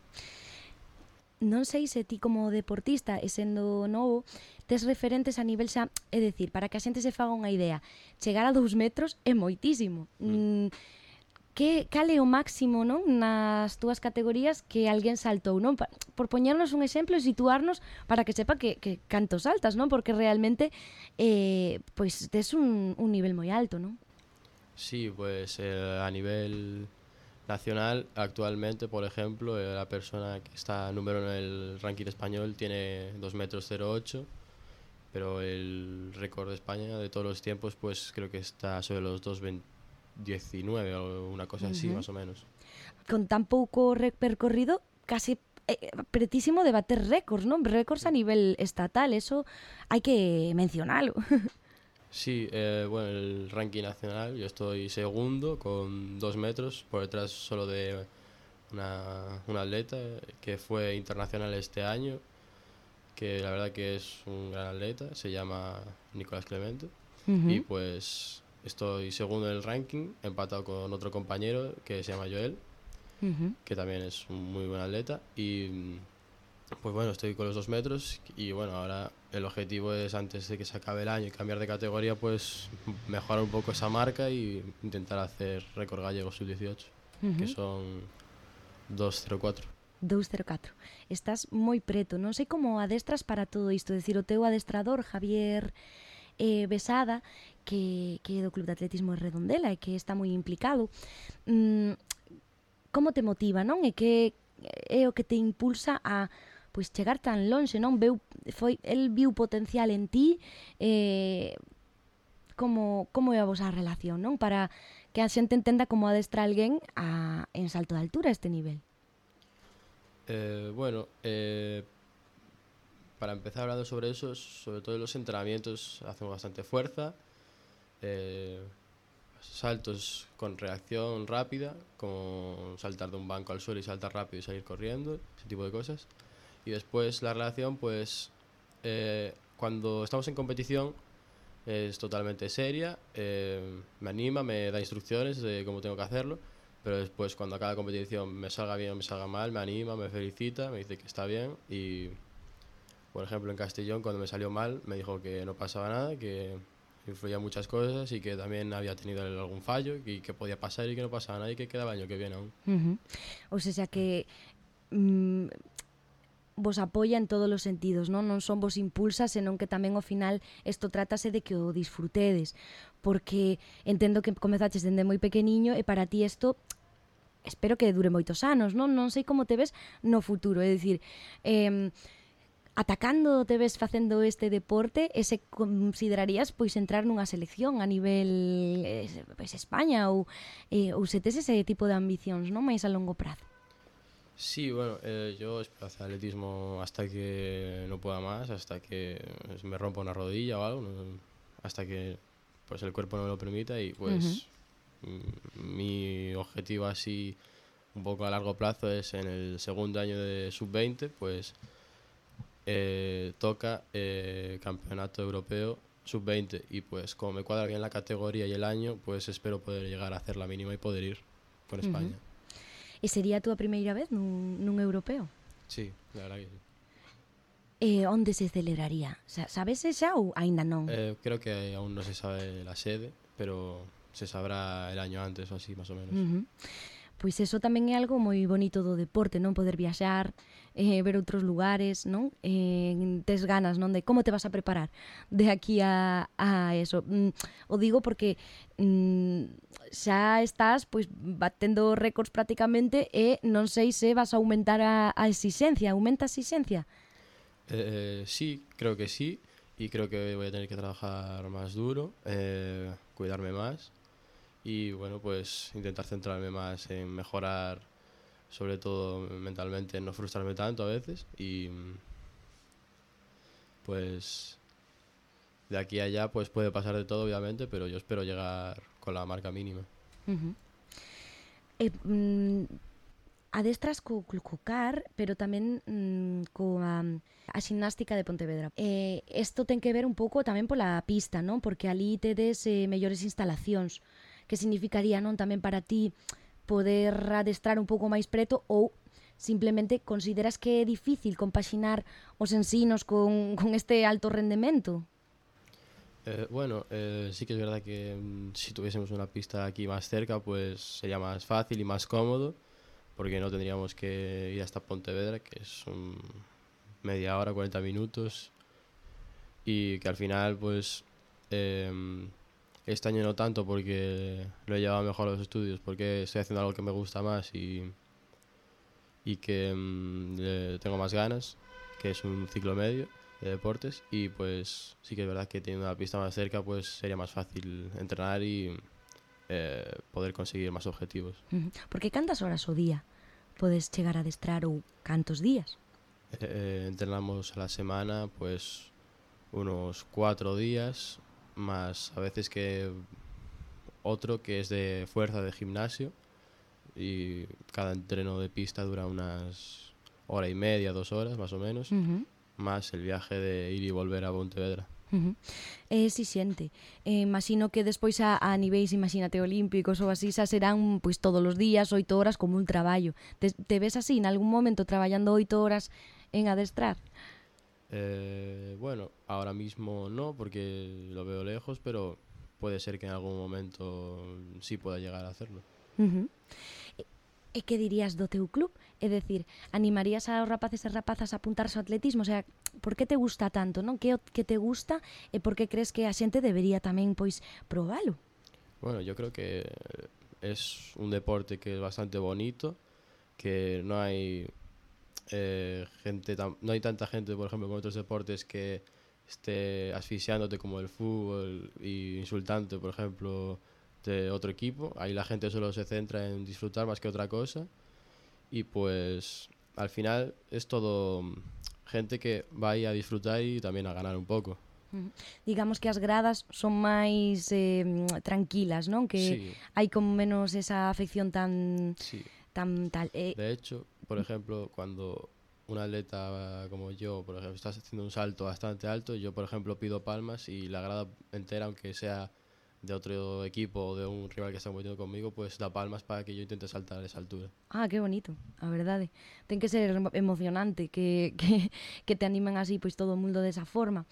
Non sei se ti como deportista e sendo novo tes referentes a nivel xa, é dicir, para que a xente se faga unha idea, chegar a dous metros é moitísimo. Mm. Que, cal é o máximo, non, nas túas categorías que alguén saltou, non? Por poñernos un exemplo e situarnos para que sepa que, que canto saltas, non? Porque realmente eh, pois tes un, un nivel moi alto, non? Sí, pues eh, a nivel nacional actualmente, por ejemplo, eh, la persona que está número en el ranking español tiene dos metros cero ocho, pero el récord de España de todos los tiempos pues creo que está sobre los dos diecinueve o una cosa uh-huh. así, más o menos. Con tan pouco percorrido, casi eh, pretísimo de bater récords, ¿no? Récords a nivel estatal, eso hay que mencionarlo. Sí, eh, bueno, el ranking nacional, yo estoy segundo con dos metros, por detrás solo de una, una atleta que fue internacional este año, que la verdad que es un gran atleta, se llama Nicolás Clemente. Uh-huh. Y pues estoy segundo en el ranking, empatado con otro compañero que se llama Joel, uh-huh. que también es un muy buen atleta. Y pues bueno, estoy con los dos metros y bueno, ahora el objetivo es, antes de que se acabe el año y cambiar de categoría, pues mejorar un poco esa marca y intentar hacer récord gallego sub dieciocho, uh-huh. que son dos cero cuatro. dos cero catro. Estás moi preto. Non sei como adestras para todo isto. Decir, o teu adestrador, Javier eh, Besada, que, que é do Club de Atletismo de Redondela e que está moi implicado, mm, como te motiva, non? E que é o que te impulsa a pois chegar tan lonxe, non? Veu, foi, el viu potencial en ti, eh, como, como é a vosa relación, non? Para que a xente entenda como adestra alguén a, en salto de altura a este nivel. Eh, bueno, eh, para empezar hablando sobre eso, sobre todo en los entrenamientos hacemos bastante fuerza, eh, saltos con reacción rápida, como saltar de un banco al suelo y saltar rápido y salir corriendo, ese tipo de cosas. Y después la relación, pues eh, cuando estamos en competición es totalmente seria, eh, me anima, me da instrucciones de cómo tengo que hacerlo, pero después cuando acaba la competición, me salga bien o me salga mal, me anima, me felicita, me dice que está bien. Y por ejemplo en Castellón, cuando me salió mal, me dijo que no pasaba nada, que influía muchas cosas y que también había tenido algún fallo y que podía pasar y que no pasaba nada y que quedaba el año que viene aún. Uh-huh. O sea que mmm, vos apoia en todos os sentidos, non? Non son vos impulsa, senón que tamén ao final isto trátase de que o disfrutedes, porque entendo que comezaches dende moi pequeniño e para ti isto espero que dure moitos anos, non? Non sei como te ves no futuro, é dicir, eh, atacando te ves facendo este deporte e se considerarías pois entrar nunha selección a nivel eh, pois España ou, eh, ou se tes ese tipo de ambicións, non? Mais a longo prazo. Sí, bueno, eh, yo espero hacer atletismo hasta que no pueda más, hasta que me rompa una rodilla o algo, ¿no? Hasta que pues el cuerpo no me lo permita y pues uh-huh. m- mi objetivo así un poco a largo plazo es en el segundo año de sub veinte, pues eh, toca eh, campeonato europeo sub veinte y pues como me cuadra bien la categoría y el año, pues espero poder llegar a hacer la mínima y poder ir con uh-huh. España. E sería a túa primeira vez nun, nun europeo? Sí, la verdad que sí. E onde se celebraría? Sabes xa ou aínda non? Eh, creo que aún no se sabe la sede, pero se sabrá el año antes o así, más o menos. Uh-huh. Pois eso tamén é algo moi bonito do deporte, non? Poder viaxar, eh, ver outros lugares, non? Eh, tes ganas, non? De como te vas a preparar de aquí a, a eso. Mm, o digo porque mm, xa estás pois batendo récords prácticamente e non sei se vas a aumentar a, a exigencia. Aumenta a exigencia? Eh, sí, creo que sí. Y creo que voy a tener que trabajar más duro, eh, cuidarme más. Y bueno, pues intentar centrarme más en mejorar, sobre todo mentalmente, en no frustrarme tanto a veces y pues de aquí a allá pues puede pasar de todo obviamente, pero yo espero llegar con la marca mínima. Uh-huh. Eh, mm, adestras co, co car, pero tamén mm, coa a ximnástica de Pontevedra. Eh, isto ten que ver un pouco tamén pola pista, non? Porque ali tedes eh, mellores instalacións. Que significaría, non, tamén para ti poder adestrar un pouco máis preto ou simplemente consideras que é difícil compaxinar os ensinos con, con este alto rendemento? Eh, bueno, eh, sí que es verdad que mm, si tuviésemos una pista aquí más cerca pues sería más fácil y más cómodo porque no tendríamos que ir hasta Pontevedra, que es un media hora, cuarenta minutos y que al final pues... Eh, Este año no tanto porque lo he llevado mejor a los estudios, porque estoy haciendo algo que me gusta más y, y que mmm, le tengo más ganas, que es un ciclo medio de deportes y pues sí que es verdad que teniendo una pista más cerca pues sería más fácil entrenar y eh, poder conseguir más objetivos. Uh-huh. Porque cantas horas o día podes chegar a adestrar ou cantos días? Eh, entrenamos a la semana pues unos cuatro días, más a veces que otro que es de fuerza de gimnasio y cada entreno de pista dura unas hora y media, dos horas más o menos, Uh-huh. más el viaje de ir y volver a Pontevedra. Uh-huh. Eh, si xente, eh, imagino que despois a, a niveis, imagínate, olímpicos ou así, xa serán pois todos os días, oito horas como un traballo. Te, te ves así, en algún momento, traballando oito horas en adestrar? Eh, bueno, ahora mismo no, porque lo veo lejos, pero puede ser que en algún momento sí pueda llegar a hacerlo. Uh-huh. E, e que dirías do teu club? É dicir, animarías aos rapaces e rapazas a apuntarse ao atletismo? O sea, por que te gusta tanto, non? Que o que te gusta e por que crees que a xente debería tamén, pois, probalo? Bueno, yo creo que es un deporte que es bastante bonito, que no hay eh, gente tan, no hay tanta gente, por ejemplo, con otros deportes que esté asfixiándote como el fútbol y insultante, por ejemplo, de otro equipo. Ahí la gente solo se centra en disfrutar más que otra cosa, y pues al final es todo gente que va ahí a disfrutar y también a ganar un pouco. Uh-huh. Digamos que as gradas son máis eh, tranquilas, non? Que Sí. hai como menos esa afección tan Sí. tan tal. Eh, De hecho, por ejemplo, cuando un atleta como yo, por ejemplo, estás haciendo un salto bastante alto, yo, por ejemplo, pido palmas y la grada entera, aunque sea de otro equipo o de un rival que está compitiendo conmigo, pues da palmas para que yo intente saltar a esa altura. Ah, que bonito, a verdade. Ten que ser emo- emocionante que, que, que te animen así, pois todo o mundo desa forma.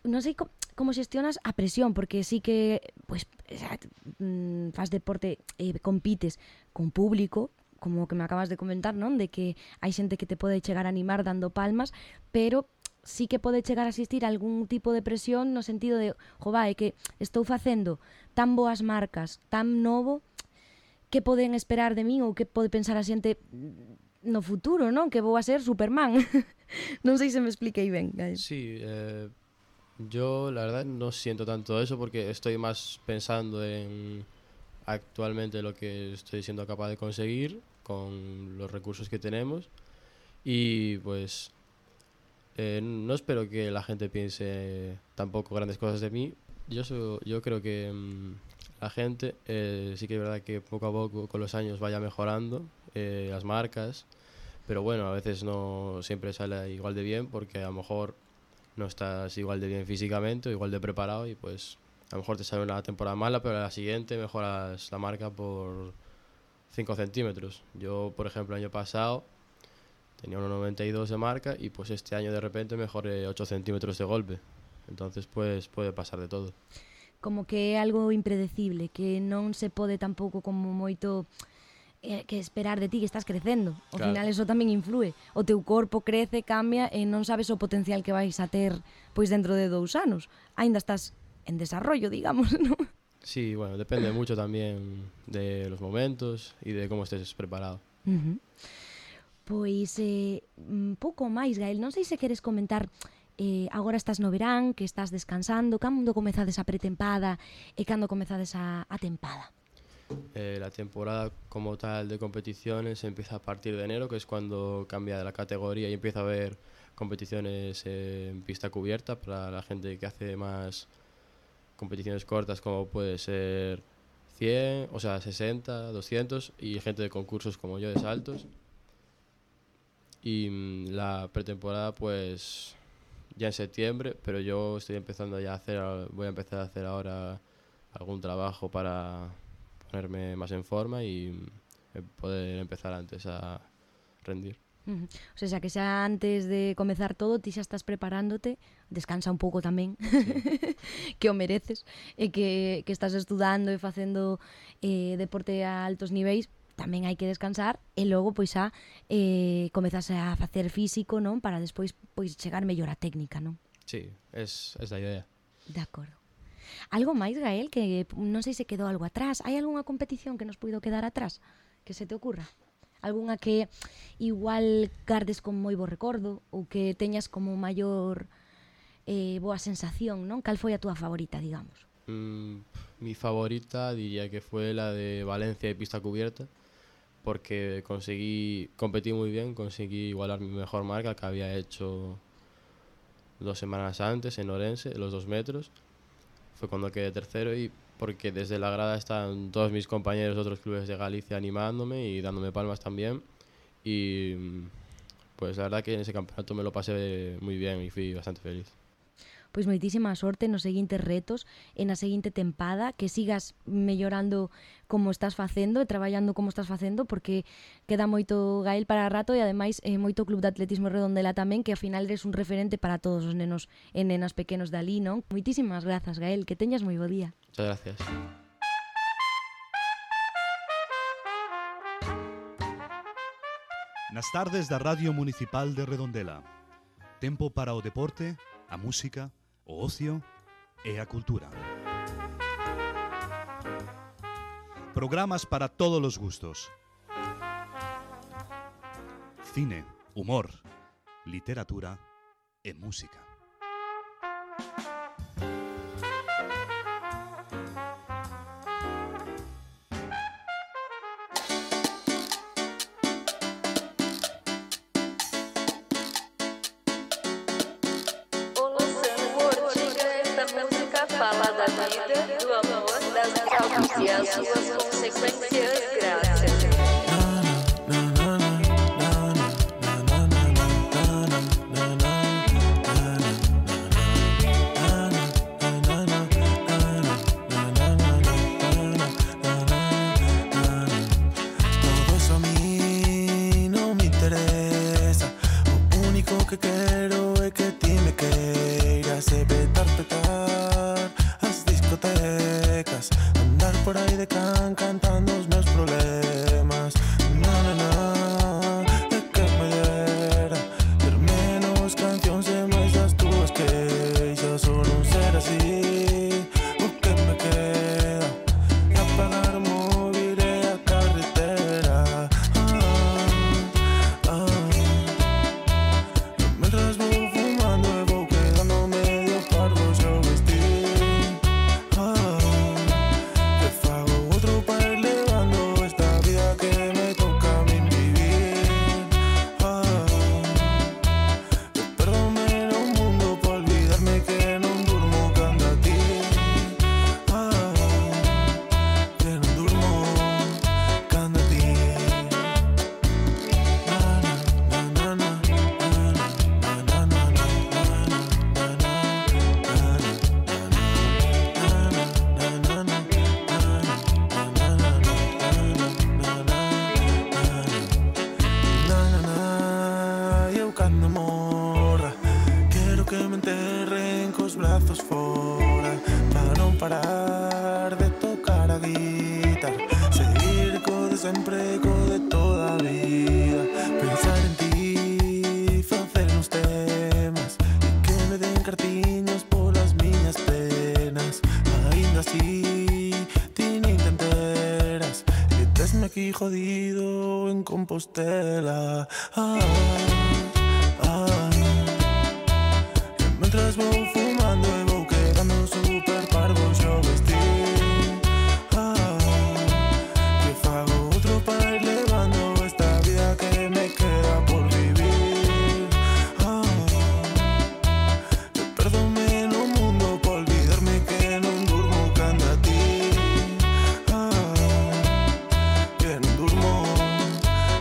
Non sei co- como xestionas a presión, porque sí que pois, xa, mm, faz deporte e eh, compites con público, como que me acabas de comentar, non? De que hai xente que te pode chegar a animar dando palmas, pero sí que pode chegar a existir algún tipo de presión no sentido de, jo, va, é que estou facendo tan boas marcas, tan novo, que poden esperar de min ou que pode pensar a xente no futuro, non? Que vou a ser Superman. Non sei se me expliquei ben, Gael. Sí, eh, yo la verdad no siento tanto eso porque estoy más pensando en actualmente lo que estoy siendo capaz de conseguir con los recursos que tenemos, y pues eh, no espero que la gente piense tampoco grandes cosas de mí. Yo, so- yo creo que mm, la gente eh, sí que es verdad que poco a poco con los años vaya mejorando eh, las marcas, pero bueno, a veces no siempre sale igual de bien porque a lo mejor no estás igual de bien físicamente o igual de preparado, y pues a lo mejor te sale una temporada mala, pero a la siguiente mejoras la marca por cinco centímetros. Yo, por ejemplo, el año pasado tenía uno noventa y dos de marca y pues este año de repente mejoré ocho centímetros de golpe. Entonces pues puede pasar de todo. Como que é algo impredecible, que non se pode tampouco como moito eh, que esperar de ti, que estás crecendo. Ao Claro. final eso tamén influe. O teu corpo crece, cambia e non sabes o potencial que vais a ter pois dentro de dous anos. Aínda estás en desarrollo, digamos, non? Sí, bueno, depende mucho también de los momentos y de cómo estés preparado. Uh-huh. Pois, eh, un pouco máis, Gael, non sei se queres comentar, eh, agora estás no verán, que estás descansando, cando comezades a pretempada e cando comezades a, a tempada? Eh, la temporada como tal de competiciones empieza a partir de enero, que es cuando cambia de la categoría y empieza a haber competiciones eh, en pista cubierta para la gente que hace más competiciones cortas, como puede ser cien, o sea, sesenta, doscientos, y gente de concursos como yo de saltos. Y mm, la pretemporada pues ya en septiembre, pero yo estoy empezando ya a hacer, voy a empezar a hacer ahora algún trabajo para ponerme más en forma y mm, poder empezar antes a rendir. Uh-huh. O sea, que xa antes de comezar todo, ti xa estás preparándote, descansa un pouco tamén, Sí. que o mereces, e que, que estás estudando e facendo eh, deporte a altos niveis, tamén hai que descansar e logo pois xa eh, comezas a facer físico, non? Para despois pois chegar mellor a técnica, non? Sí, es, es la idea. De acordo. Algo máis, Gael, que non sei se quedou algo atrás. Hai algunha competición que nos puido quedar atrás que se te ocurra? Algunha que igual gardes con moi bo recordo ou que teñas como maior eh, boa sensación, non? Cal foi a túa favorita, digamos? Mm, mi favorita diría que fue la de Valencia de pista cubierta, porque conseguí, competí muy bien, conseguí igualar mi mejor marca que había hecho dos semanas antes en Orense, los dos metros. fue cuando quedé tercero y porque desde la grada están todos mis compañeros de otros clubes de Galicia animándome y dándome palmas también. Y pues la verdad que en ese campeonato me lo pasé muy bien y fui bastante feliz. Pois moitísima sorte nos seguintes retos e na seguinte tempada, que sigas mellorando como estás facendo e traballando como estás facendo, porque queda moito Gael para rato e ademais eh, moito Club de Atletismo Redondela tamén, que ao final eres un referente para todos os nenos e nenas pequenos dali, non? Moitísimas grazas, Gael, que teñas moi bo día. Muchas gracias. Nas tardes da Radio Municipal de Redondela. Tempo para o deporte, a música, o ocio e a cultura. Programas para todos os gustos. Cine, humor, literatura e música. Fala da vida, do amor, das causas e as suas consequências graças. Todo eso a mí no me interesa. O único que quero é que ti me queiras e petar, petar as discotecas, andar por aí de can cantando os meus problemas. Na, na, na, é que me dera ter menos cancións e máis das túas queixas, ou non ser así. O que me queda é apagar o móvil e a carretera. Ah, ah. Mentras vou fumando e vou quedando medio parvo xa o vestir. Ah, que fago outro para ir levando esta vida que me toca a min vivir. Ah, que perdome no mundo por olvidarme que non durmo cando a ti. Ah, que non durmo cando a ti. Na, na, na, na, na, na, na, na. Eu cando morra quero que me enterren cos brazos fora, para non parar de tocar a guitarra, seguir co de sempre, co de toda a vida, pensar en ti, facer uns temas e que me den cartiños polas miñas penas. Ainda así ti nin te enteras e tesme aquí jodido en Compostela. Ah, ah. E mentras vou fumando e vou quedando super parvo xa o vestir. Ah, que fago outro para ir levando esta vida que me queda por vivir. Ah, que perdome no mundo por olvidarme que non durmo cando a ti. Ah, que non durmo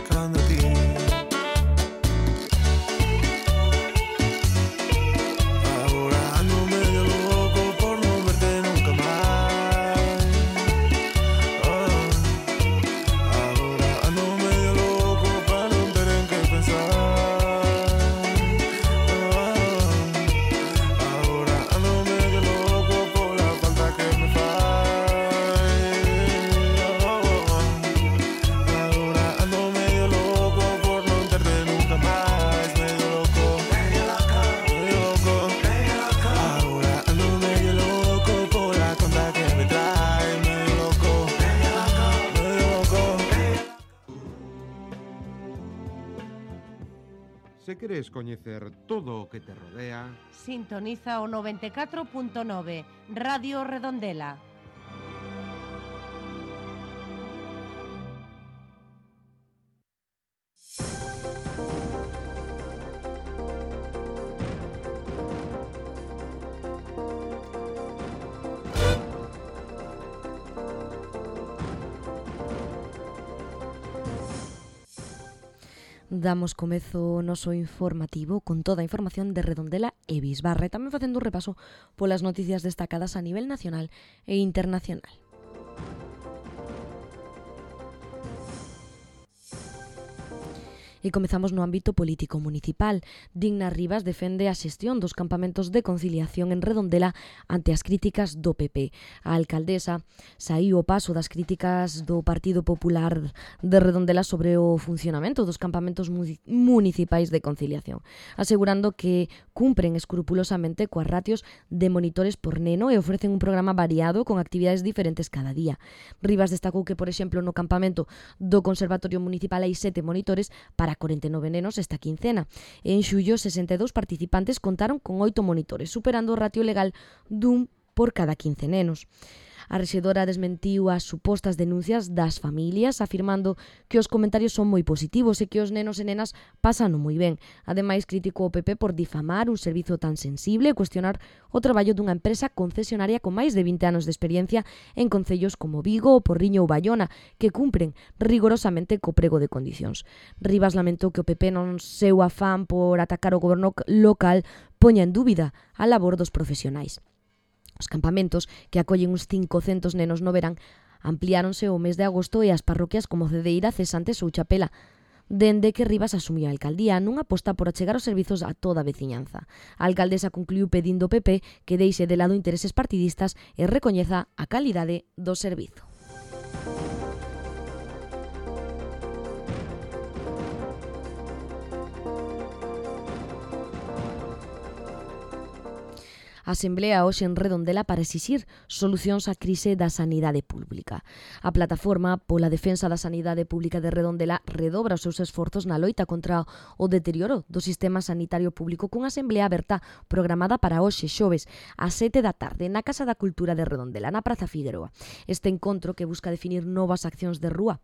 cando a ti. Agora ando medio loco por non verte nunca máis. Ah, agora ando medio loco para non ter en que pensar. Ah, agora ando medio loco pola falta que me fai. Agora ando medio loco por non terte nunca máis. Medio loco, medio loco, medio loco. Agora ando medio loco pola conta que me trae. Medio loco, medio loco, medio loco. Se queres coñecer todo o que te rodea, Sintoniza o noventa e catro punto nove, Radio Redondela. Damos comezo o noso informativo con toda a información de Redondela e Bisbarra e tamén facendo un repaso polas noticias destacadas a nivel nacional e internacional. E comezamos no ámbito político municipal. Digna Rivas defende a xestión dos campamentos de conciliación en Redondela ante as críticas do P P. A alcaldesa saíu o paso das críticas do Partido Popular de Redondela sobre o funcionamento dos campamentos municipais de conciliación, asegurando que cumpren escrupulosamente coas ratios de monitores por neno e ofrecen un programa variado con actividades diferentes cada día. Rivas destacou que, por exemplo, no campamento do Conservatorio Municipal hai sete monitores para Para corenta e nove nenos esta quincena. En xullo, sesenta e dous participantes contaron con oito monitores, superando o ratio legal dun por cada quince nenos. A rexedora desmentiu as supostas denuncias das familias, afirmando que os comentarios son moi positivos e que os nenos e nenas pasan moi ben. Ademais, criticou o P P por difamar un servizo tan sensible e cuestionar o traballo dunha empresa concesionaria con máis de vinte anos de experiencia en concellos como Vigo, O Porriño ou Baiona, que cumpren rigorosamente co prego de condicións. Rivas lamentou que o P P non seu afán por atacar o goberno local poña en dúbida a labor dos profesionais. Os campamentos, que acollen uns cincocentos nenos no verán, ampliáronse o mes de agosto e as parroquias como Cedeira, Cesantes ou Chapela, dende que Rivas asumiu a alcaldía nunha aposta por achegar os servizos a toda a veciñanza. A alcaldesa concluiu pedindo ao P P que deixe de lado intereses partidistas e recoñeza a calidade do servizo. Asemblea hoxe en Redondela para exixir solucións á crise da sanidade pública. A plataforma pola defensa da sanidade pública de Redondela redobra os seus esforzos na loita contra o deterioro do sistema sanitario público cunha asemblea aberta programada para hoxe xoves ás sete da tarde na Casa da Cultura de Redondela, na Praza Figueroa. Este encontro, que busca definir novas accións de rúa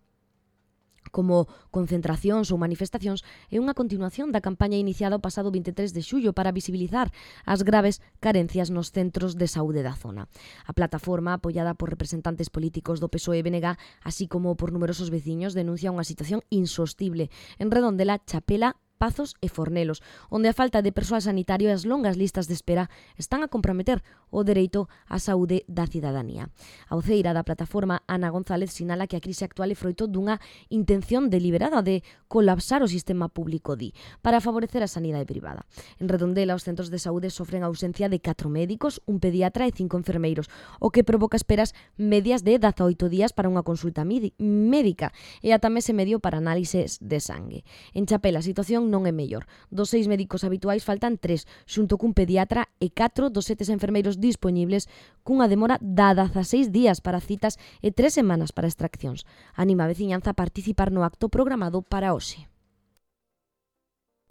como concentracións ou manifestacións, é unha continuación da campaña iniciada o pasado vinte e tres de xullo para visibilizar as graves carencias nos centros de saúde da zona. A plataforma, apoiada por representantes políticos do P S O E e B N G, así como por numerosos veciños, denuncia unha situación insostible en Redondela, Chapela, Pazos e Fornelos, onde a falta de persoal sanitario e as longas listas de espera están a comprometer o dereito á saúde da cidadanía. A voceira da plataforma, Ana González, sinala que a crise actual é froito dunha intención deliberada de colapsar o sistema público, di, para favorecer a sanidade privada. En Redondela, os centros de saúde sofren a ausencia de catro médicos, un pediatra e cinco enfermeiros, o que provoca esperas medias de dezaoito días para unha consulta médica e ata mes e medio para análises de sangue. En Chapela, a situación non é mellor. Dos seis médicos habituais faltan tres, xunto cun pediatra e catro dos sete enfermeiros dispoñibles, cunha demora de dezaseis días para citas e tres semanas para extraccións. Anima a veciñanza a participar no acto programado para hoxe.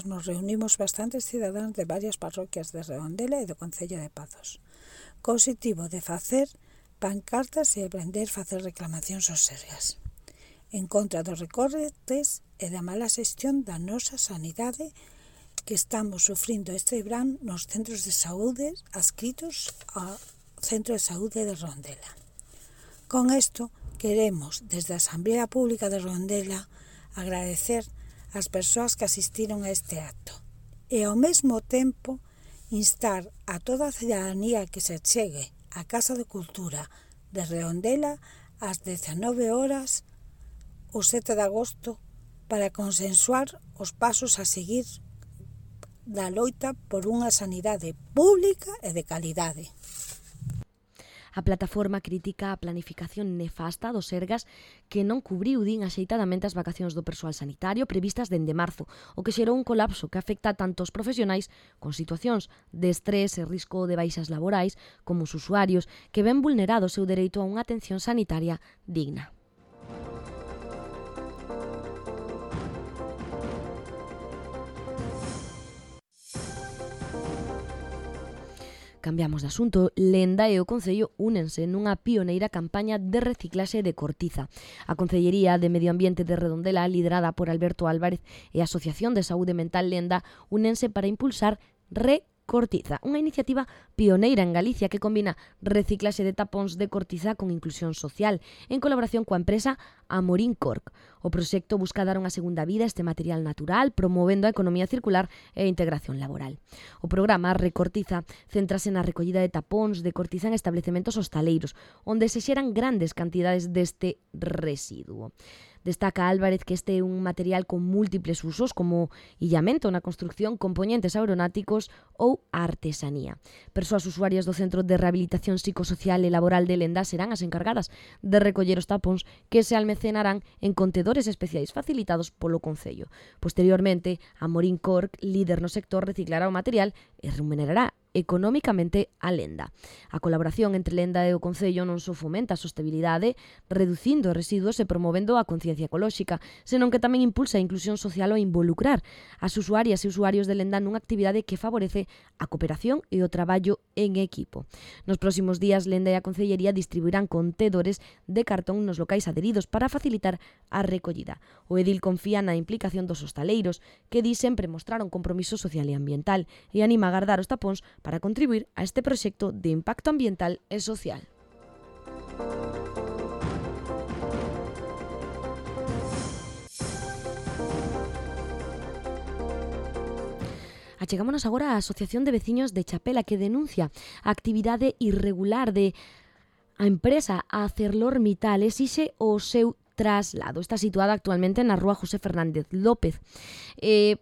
Nos reunimos bastantes cidadáns de varias parroquias de Redondela e do Concello de Pazos, co obxectivo de facer pancartas e aprender a facer reclamacións aos sergas en contra dos recortes e da mala xestión da nosa sanidade que estamos sufrindo este verán nos centros de saúde adscritos ao Centro de Saúde de Redondela. Con isto, queremos, desde a Asamblea Pública de Redondela, agradecer ás persoas que asistiron a este acto e, ao mesmo tempo, instar a toda a cidadanía que se chegue á Casa de Cultura de Redondela ás dezenove horas o sete de agosto para consensuar os pasos a seguir da loita por unha sanidade pública e de calidade. A plataforma critica a planificación nefasta dos Sergas que non cubriu din axeitadamente as vacacións do persoal sanitario previstas dende marzo, o que xerou un colapso que afecta tanto os profesionais con situacións de estrés e risco de baixas laborais como os usuarios que ven vulnerado o seu dereito a unha atención sanitaria digna. Cambiamos de asunto. Lenda e o Concello únense nunha pioneira campaña de reciclaxe de cortiza. A Concellería de Medio Ambiente de Redondela, liderada por Alberto Álvarez, e a Asociación de Saúde Mental Lenda únense para impulsar re Cortiza, unha iniciativa pioneira en Galicia que combina reciclaxe de tapóns de cortiza con inclusión social, en colaboración coa empresa Amorín Cork. O proxecto busca dar unha segunda vida a este material natural, promovendo a economía circular e a integración laboral. O programa Recortiza céntrase na recollida de tapóns de cortiza en establecementos hostaleiros, onde se xeran grandes cantidades deste residuo. Destaca Álvarez que este é un material con múltiples usos como illamento na construcción, componentes aeronáuticos ou artesanía. Persoas usuarias do Centro de Rehabilitación Psicosocial e Laboral de Lenda serán as encargadas de recoller os tapóns que se almacenarán en contedores especiais facilitados polo Concello. Posteriormente, Amorín Cork, líder no sector, reciclará o material e remunerará económicamente a Lenda. A colaboración entre Lenda e o Concello non só fomenta a sostenibilidade, reducindo os residuos e promovendo a conciencia ecolóxica, senón que tamén impulsa a inclusión social ao involucrar as usuarias e usuarios de Lenda nunha actividade que favorece a cooperación e o traballo en equipo. Nos próximos días, Lenda e a Concellería distribuirán contedores de cartón nos locais adheridos para facilitar a recollida. O edil confía na implicación dos hostaleiros, que di sempre mostrar un compromiso social e ambiental, e anima a guardar os tapóns para contribuir a este proxecto de impacto ambiental e social. Achegámonos agora á Asociación de Veciños de Chapela, que denuncia a actividade irregular de a empresa ArcelorMittal exixe o seu traslado. Está situada actualmente na rúa José Fernández López. Eh,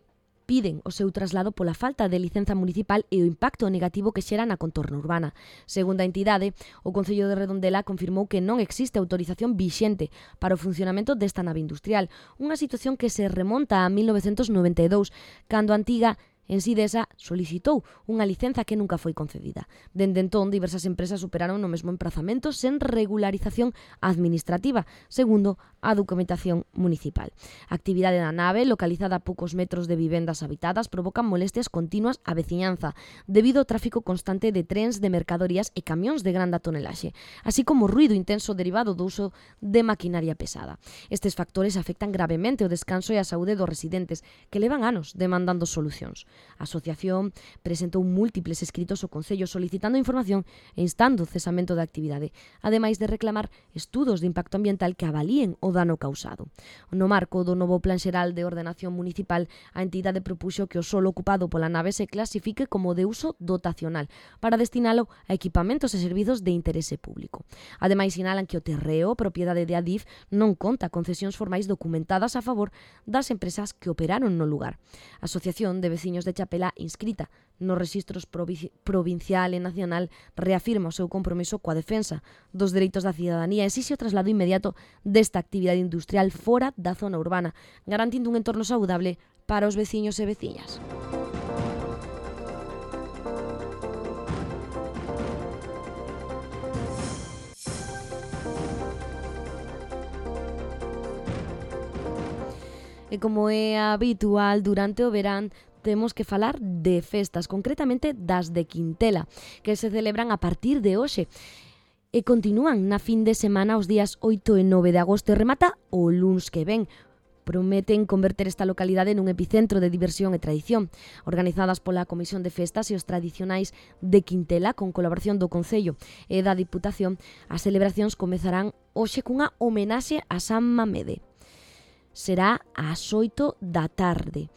piden o seu traslado pola falta de licenza municipal e o impacto negativo que xera na contorna urbana. Segundo a entidade, o Concello de Redondela confirmou que non existe autorización vixente para o funcionamento desta nave industrial, unha situación que se remonta a mil novecentos noventa e dous, cando a antiga Ensidesa solicitou unha licenza que nunca foi concedida. Dende entón, diversas empresas operaron no mesmo emprazamento sen regularización administrativa, segundo a documentación municipal. A actividade da nave, localizada a poucos metros de vivendas habitadas, provoca molestias continuas á veciñanza, debido ao tráfico constante de trens de mercadorías e camións de grande tonelaxe, así como ruido intenso derivado do uso de maquinaria pesada. Estes factores afectan gravemente o descanso e a saúde dos residentes, que levan anos demandando solucións. A asociación presentou múltiples escritos ao Concello solicitando información e instando o cesamento da actividade, ademais de reclamar estudos de impacto ambiental que avalíen o dano causado. No marco do novo Plan Xeral de Ordenación Municipal, a entidade propuxo que o solo ocupado pola nave se clasifique como de uso dotacional para destinalo a equipamentos e servizos de interese público. Ademais, sinalan que o terreo, propiedade de Adif, non conta con cesións formais documentadas a favor das empresas que operaron no lugar. A Asociación de Veciños de Chapela, inscrita nos rexistros provincial e nacional, reafirma o seu compromiso coa defensa dos dereitos da cidadanía e exixe o traslado inmediato desta actividade industrial fora da zona urbana, garantindo un entorno saudable para os veciños e veciñas. E como é habitual durante o verán, temos que falar de festas, concretamente das de Quintela, que se celebran a partir de hoxe e continúan na fin de semana os días oito e nove de agosto e remata o luns que ven. Prometen converter esta localidade nun epicentro de diversión e tradición. Organizadas pola Comisión de Festas e os Tradicionais de Quintela, con colaboración do Concello e da Diputación, as celebracións comezarán hoxe cunha homenaxe a San Mamede. Será ás oito da tarde.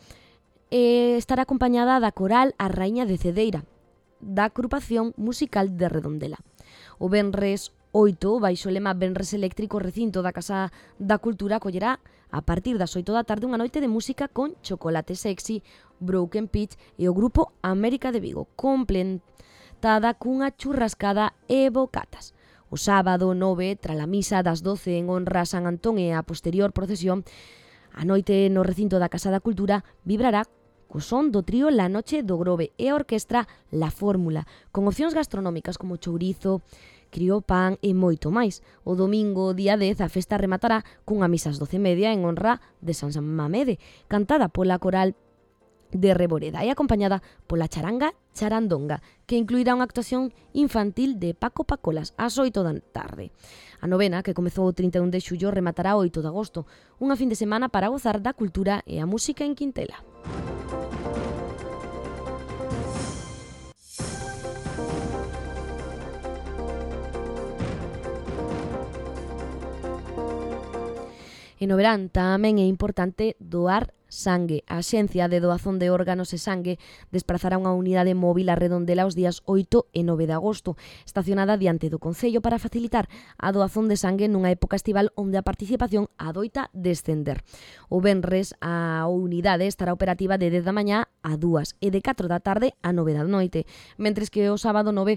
E estará acompañada da coral A Raíña de Cedeira, da agrupación musical de Redondela. O venres oito, baixo o lema Venres Eléctrico, o recinto da Casa da Cultura acollerá a partir das oito da tarde unha noite de música con Chocolate Sexy, Broken Pitch e o grupo América de Vigo, completada cunha churrascada e bocatas. O sábado nove, tras a misa das doce en honra a San Antón e a posterior procesión, a noite no recinto da Casa da Cultura vibrará co son do trío La Noche do Grove e a orquestra La Fórmula, con opcións gastronómicas como chourizo, criopán e moito máis. O domingo, día dez, a festa rematará cunha misa ás doce e media en honra de San Mamede, cantada pola coral de Reboreda e acompañada pola charanga Charandonga, que incluirá unha actuación infantil de Paco Pacolas ás oito da tarde. A novena, que comezou o trinta e un de xullo, rematará o oito de agosto, unha fin de semana para gozar da cultura e a música en Quintela. E no verán tamén é importante doar sangue. A Axencia de Doazón de Órganos e Sangue desplazará unha unidade móvil a Redondela os días oito e nove de agosto, estacionada diante do Concello para facilitar a doazón de sangue nunha época estival onde a participación adoita descender. O venres a unidade estará operativa de dez da mañá a dúas e de catro da tarde a nove da noite, mentres que o sábado nove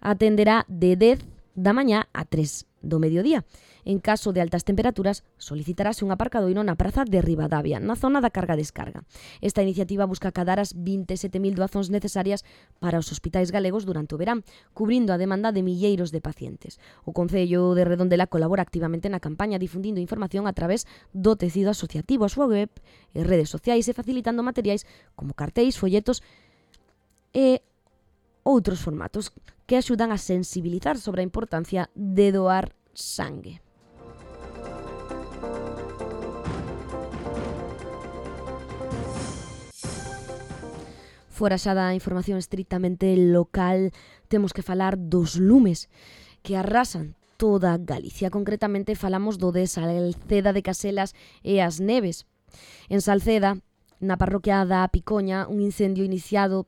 atenderá de dez da mañá a tres do mediodía. En caso de altas temperaturas, solicitarase un aparcadoiro na praza de Ribadavia, na zona da carga-descarga. Esta iniciativa busca acadar as vinte e sete mil doazóns necesarias para os hospitais galegos durante o verán, cubrindo a demanda de milleiros de pacientes. O Concello de Redondela colabora activamente na campaña, difundindo información a través do tecido asociativo, a súa web e redes sociais e facilitando materiais como cartéis, folletos e outros formatos que axudan a sensibilizar sobre a importancia de doar sangue. Fora xa da información estritamente local, temos que falar dos lumes que arrasan toda Galicia. Concretamente falamos do de Salceda de Caselas e as Neves. En Salceda, na parroquia da Picoña, un incendio iniciado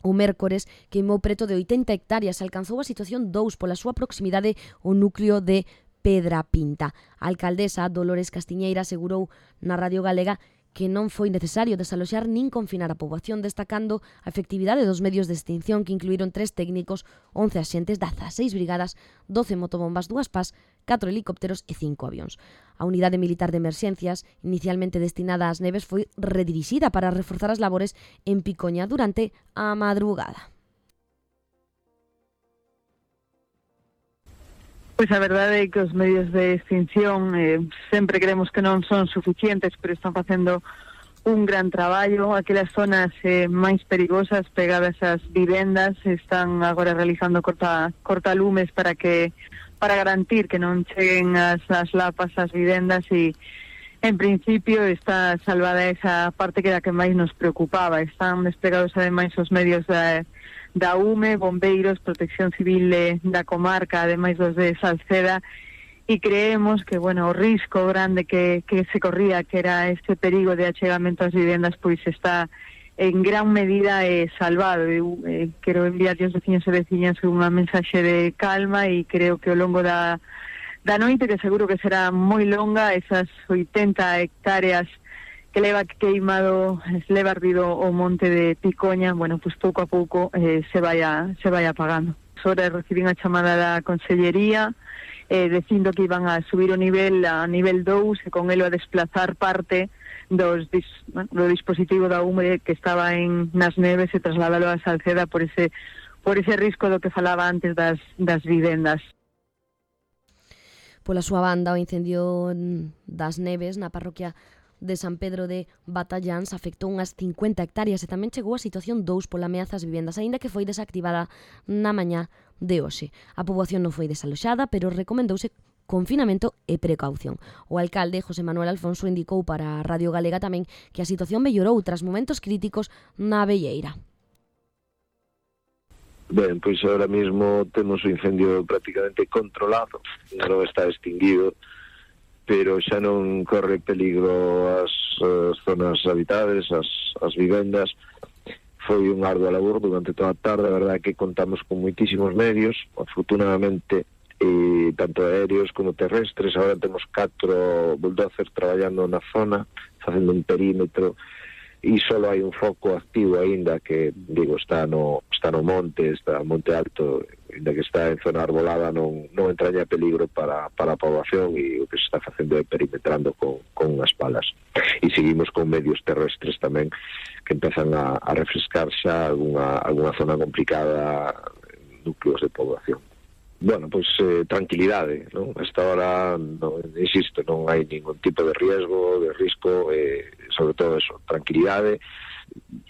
o mércores queimou preto de oitenta hectáreas, alcanzou a situación dous pola súa proximidade ao núcleo de Pedra Pinta. A alcaldesa Dolores Castiñeira asegurou na Radio Galega que non foi necesario desaloxar nin confinar a poboación, destacando a efectividade dos medios de extinción que incluíron tres técnicos, once axentes das seis brigadas, doce motobombas, dúas pás, catro helicópteros e cinco avións. A unidade militar de emerxencias, inicialmente destinada ás Neves, foi redirixida para reforzar as labores en Picoña durante a madrugada. Pois a verdade é que os medios de extinción eh, sempre creemos que non son suficientes, pero están facendo un gran traballo. Aquelas zonas eh, máis perigosas pegadas ás vivendas están agora realizando corta, cortalumes para que para garantir que non cheguen as, as lapas ás vivendas e en principio está salvada esa parte que era que máis nos preocupaba. Están desplegados ademais os medios da da U M E, bombeiros, protección civil de, da comarca, ademais dos de Salceda, e creemos que, bueno, o risco grande que, que se corría, que era este perigo de achegamento ás vivendas, pois está en gran medida eh, salvado. Eu eh, quero enviar aos veciños e veciñas unha mensaxe de calma e creo que ao longo da, da noite, que seguro que será moi longa, esas oitenta hectáreas que leva queimado, leva ardido o monte de Picoña, bueno, pues pouco a pouco eh, se vai a, se vai apagando. Ahora recibín a chamada da Consellería eh, dicindo que iban a subir o nivel a nivel dous e con elo a desplazar parte dos dis, bueno, do dispositivo da U M E que estaba en nas Neves e trasladalo a Salceda por ese por ese risco do que falaba antes das, das vivendas. Pola súa banda, o incendio das Neves na parroquia de San Pedro de Batalláns afectou unhas cincuenta hectáreas e tamén chegou a situación dous pola ameaza ás vivendas, aínda que foi desactivada na mañá de hoxe. A poboación non foi desaloxada, pero recomendouse confinamento e precaución. O alcalde, José Manuel Alfonso, indicou para a Radio Galega tamén que a situación mellorou tras momentos críticos na Velleira. Ben, pois ahora mismo temos o incendio prácticamente controlado, non está extinguido, pero xa non corre peligro as, as zonas habitables, as, as vivendas. Foi un ardua labor durante toda a tarde, a verdade que contamos con moitísimos medios, afortunadamente, eh, tanto aéreos como terrestres. Agora temos catro bulldozers traballando na zona, facendo un perímetro, e só hai un foco activo aínda que, digo, está no, está no monte, está no monte alto, aínda que está en zona arbolada, non, non entraña peligro para, para a poboación, e o que se está facendo é perimetrando con, con unhas palas. E seguimos con medios terrestres tamén, que empezan a, a refrescar xa alguna, alguna zona complicada, núcleos de poboación. Bueno, pois eh, tranquilidade, non? Hasta ahora, no, insisto, non hai ningún tipo de riesgo, de risco, eh, sobre todo eso, tranquilidade,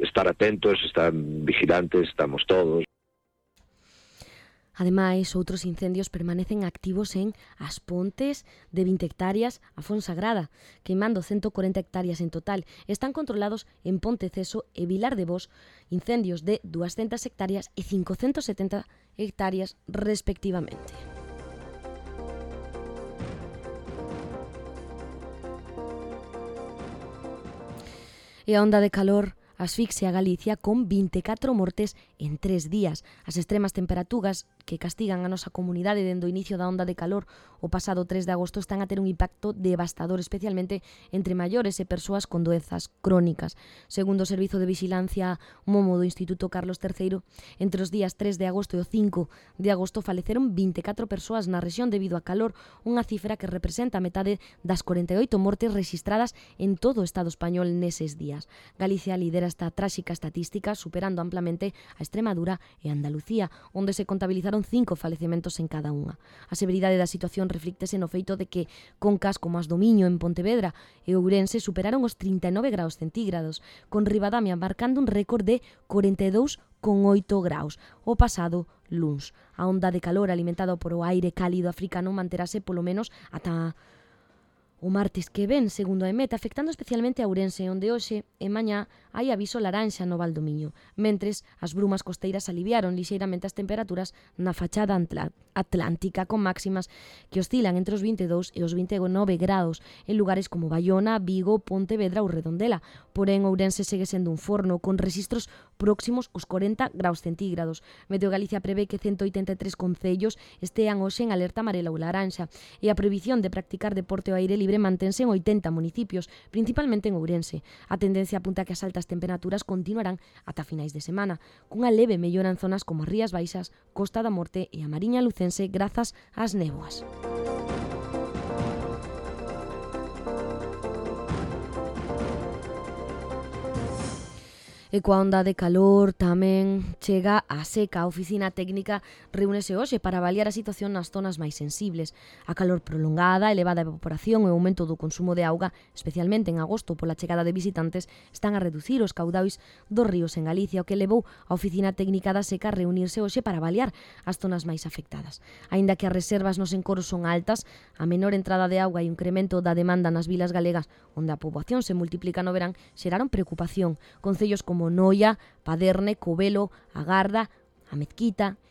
estar atentos, estar vigilantes, estamos todos. Ademais, outros incendios permanecen activos en As Pontes, de vinte hectáreas, a Fonsagrada, queimando ciento cuarenta hectáreas en total. Están controlados en Ponteceso e Vilar de Bos, incendios de doscientas hectáreas e quinhentas setenta hectáreas respectivamente. E a onda de calor asfixia a Galicia con vinte e catro mortes en tres días. As extremas temperaturas que castigan a nosa comunidade dende o inicio da onda de calor o pasado tres de agosto están a ter un impacto devastador, especialmente entre maiores e persoas con doenzas crónicas. Segundo o Servizo de Vigilancia Momo do Instituto Carlos terceiro, entre os días tres de agosto e o cinco de agosto faleceron vinte e catro persoas na rexión debido a calor, unha cifra que representa a metade das corenta e oito mortes rexistradas en todo o Estado español neses días. Galicia lidera esta tráxica estatística, superando amplamente a Extremadura e Andalucía, onde se contabilizaron cinco falecementos en cada unha. A severidade da situación reflíctese no feito de que concas como as do Miño en Pontevedra e Ourense superaron os trinta e nove graus centígrados, con Ribadamia marcando un récord de corenta e dous con oito graus o pasado luns. A onda de calor alimentada por o aire cálido africano manterase polo menos ata o martes que ven, segundo a EMET, afectando especialmente a Ourense, onde hoxe e mañá hai aviso laranxa no Val do Miño, mentres as brumas costeiras aliviaron lixeiramente as temperaturas na fachada atlántica, con máximas que oscilan entre os vinte e dous e os vinte e nove graus en lugares como Baiona, Vigo, Pontevedra ou Redondela. Porén, Ourense segue sendo un forno con rexistros próximos aos corenta graus centígrados. Meteo Galicia prevé que cento oitenta e tres concellos estean hoxe en alerta amarela ou laranxa e a prohibición de practicar deporte ao aire libre mantense en oitenta municipios, principalmente en Ourense. A tendencia apunta que as altas temperaturas continuarán ata finais de semana, cunha leve mellora en zonas como as Rías Baixas, Costa da Morte e a Mariña Lucense grazas ás néboas. E coa onda de calor tamén chega a seca. A Oficina Técnica reúnese hoxe para avaliar a situación nas zonas máis sensibles. A calor prolongada, elevada evaporación e o aumento do consumo de auga, especialmente en agosto pola chegada de visitantes, están a reducir os caudais dos ríos en Galicia, o que levou a Oficina Técnica da Seca a reunirse hoxe para avaliar as zonas máis afectadas. Aínda que as reservas nos encoros son altas, a menor entrada de auga e o incremento da demanda nas vilas galegas, onde a poboación se multiplica no verán, xeraron preocupación. Concellos como Noia, Paderne, Covelo, Agarda, a Mezquita,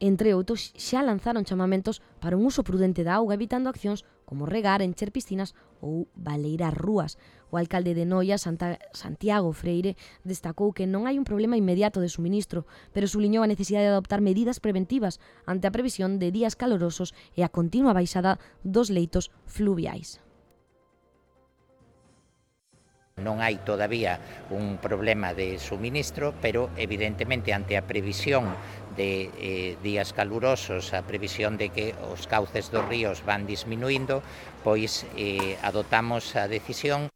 entre outros, xa lanzaron chamamentos para un uso prudente da auga, evitando accións como regar, encher piscinas ou baleirar rúas. O alcalde de Noia, Santa, Santiago Freire, destacou que non hai un problema inmediato de suministro, pero subliñou a necesidade de adoptar medidas preventivas ante a previsión de días calorosos e a continua baixada dos leitos fluviais. Non hai todavía un problema de suministro, pero evidentemente ante a previsión de eh, días calurosos, a previsión de que os cauces dos ríos van disminuindo, pois eh, adoptamos a decisión.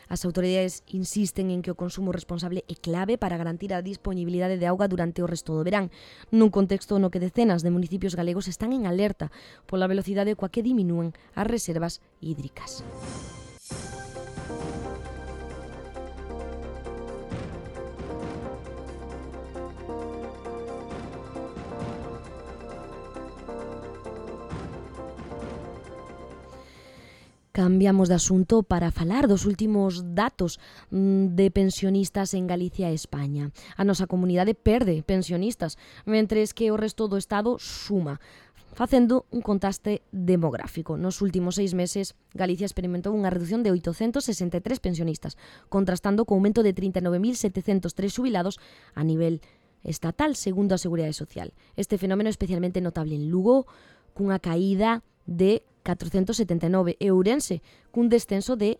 As autoridades insisten en que o consumo responsable é clave para garantir a disponibilidade de auga durante o resto do verán, nun contexto no que decenas de municipios galegos están en alerta pola velocidade coa que diminúen as reservas hídricas. Cambiamos de asunto para falar dos últimos datos de pensionistas en Galicia e España. A nosa comunidade perde pensionistas, mentres que o resto do Estado suma, facendo un contraste demográfico. Nos últimos seis meses, Galicia experimentou unha reducción de oitocentos sesenta e tres pensionistas, contrastando co aumento de trinta e nove mil setecentos tres xubilados a nivel estatal, segundo a Seguridade Social. Este fenómeno é especialmente notable en Lugo, cunha caída de catrocentos setenta e nove, e Ourense, cun descenso de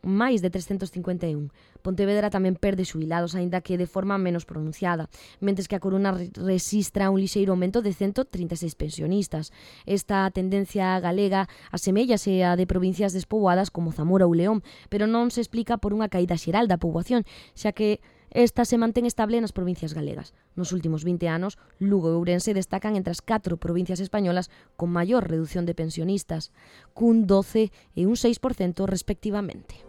máis de trescentos cincuenta e un. Pontevedra tamén perde xubilados, aínda que de forma menos pronunciada, mentres que a Coruña resistra un lixeiro aumento de cento trinta e seis pensionistas. Esta tendencia galega aseméllase a de provincias despoboadas como Zamora ou León, pero non se explica por unha caída xeral da poboación, xa que esta se mantén estable nas provincias galegas. Nos últimos vinte anos, Lugo e Ourense destacan entre as catro provincias españolas con maior reducción de pensionistas, cun doce e un seis por cento respectivamente.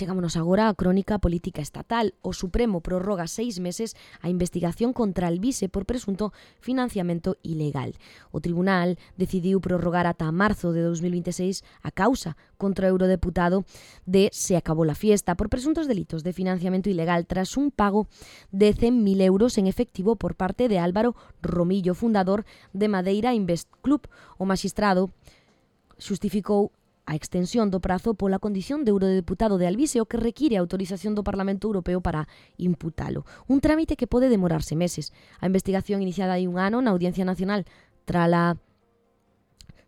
Chegámonos agora á crónica política estatal. O Supremo prorroga seis meses a investigación contra Alvise por presunto financiamento ilegal. O Tribunal decidiu prorrogar ata marzo de dos mil veintiséis a causa contra o eurodeputado de Se acabó la fiesta por presuntos delitos de financiamento ilegal tras un pago de cen mil euros en efectivo por parte de Álvaro Romillo, fundador de Madeira Invest Club. O magistrado xustificou a extensión do prazo pola condición de eurodeputado de Alvise, o que require a autorización do Parlamento Europeo para imputalo. Un trámite que pode demorarse meses. A investigación iniciada hai un ano na Audiencia Nacional trala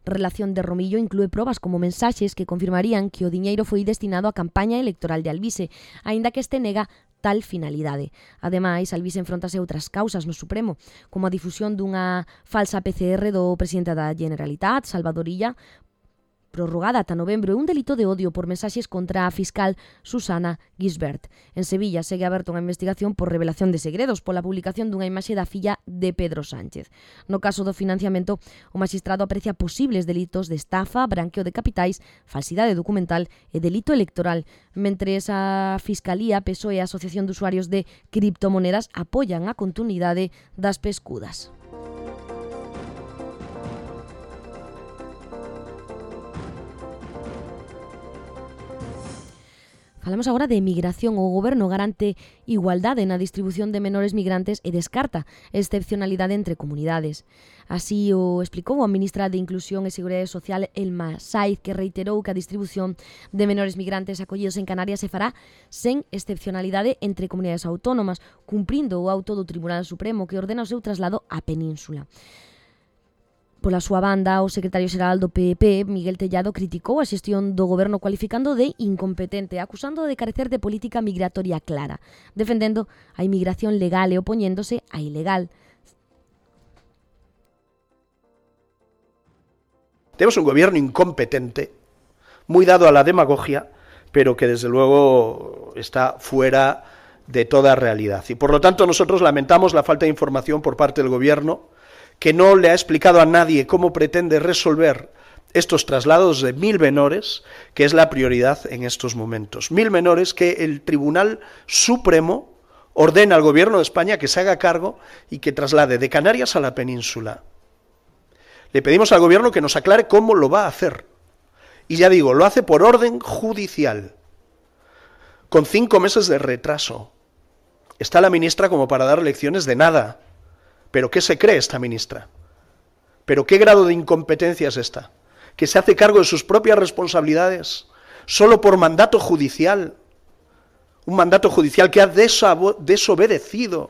relación de Romillo inclúe probas como mensaxes que confirmarían que o diñeiro foi destinado á campaña electoral de Alvise, aínda que este nega tal finalidade. Ademais, Alvise enfrontase a outras causas no Supremo, como a difusión dunha falsa P C R do presidente da Generalitat, Salvador Illa, prorrogada ata novembro, e un delito de odio por mensaxes contra a fiscal Susana Gisbert. En Sevilla segue aberta unha investigación por revelación de segredos pola publicación dunha imaxe da filla de Pedro Sánchez. No caso do financiamento, o magistrado aprecia posibles delitos de estafa, branqueo de capitais, falsidade documental e delito electoral, mentre esa Fiscalía, P S O E e a Asociación de Usuarios de Criptomonedas apoian a continuidade das pescudas. Falamos agora de migración. O Goberno garante igualdade na distribución de menores migrantes e descarta excepcionalidade entre comunidades. Así o explicou a ministra de Inclusión e Seguridade Social, Elma Saiz, que reiterou que a distribución de menores migrantes acollidos en Canarias se fará sen excepcionalidade entre comunidades autónomas, cumprindo o auto do Tribunal Supremo que ordena o seu traslado á Península. Pola súa banda, o secretario xeral do P P, Miguel Tellado, criticou a xestión do Goberno cualificando de incompetente, acusando de carecer de política migratoria clara, defendendo a inmigración legal e opoñéndose a ilegal. Tenemos un gobierno incompetente, muy dado a la demagogia, pero que desde luego está fuera de toda realidad. Y por lo tanto nosotros lamentamos la falta de información por parte del gobierno, que no le ha explicado a nadie cómo pretende resolver estos traslados de mil menores, que es la prioridad en estos momentos. Mil menores que el Tribunal Supremo ordena al Gobierno de España que se haga cargo y que traslade de Canarias a la península. Le pedimos al Gobierno que nos aclare cómo lo va a hacer. Y ya digo, lo hace por orden judicial, con cinco meses de retraso. Está la ministra como para dar lecciones de nada. ¿Pero qué se cree esta ministra? ¿Pero qué grado de incompetencia es esta? ¿Que se hace cargo de sus propias responsabilidades solo por mandato judicial? Un mandato judicial que ha desobedecido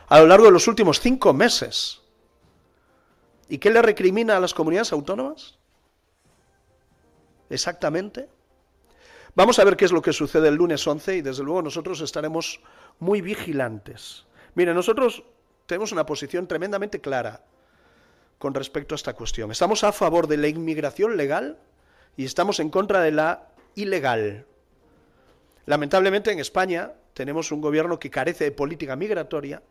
a lo largo de los últimos cinco meses. ¿Y qué le recrimina a las comunidades autónomas? Exactamente. Vamos a ver qué es lo que sucede el lunes once y desde luego nosotros estaremos muy vigilantes. Mire, nosotros tenemos una posición tremendamente clara con respecto a esta cuestión. Estamos a favor de la inmigración legal y estamos en contra de la ilegal. Lamentablemente en España tenemos un gobierno que carece de política migratoria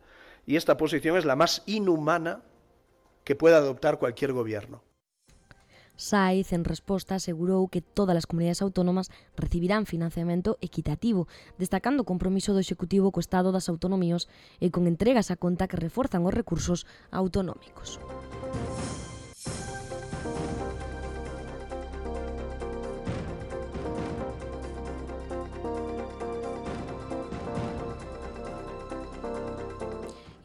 y esta posición es la más inhumana que pueda adoptar cualquier gobierno. Saiz, en resposta, asegurou que todas as comunidades autónomas recibirán financiamento equitativo, destacando o compromiso do Executivo co Estado das Autonomías e con entregas a conta que reforzan os recursos autonómicos.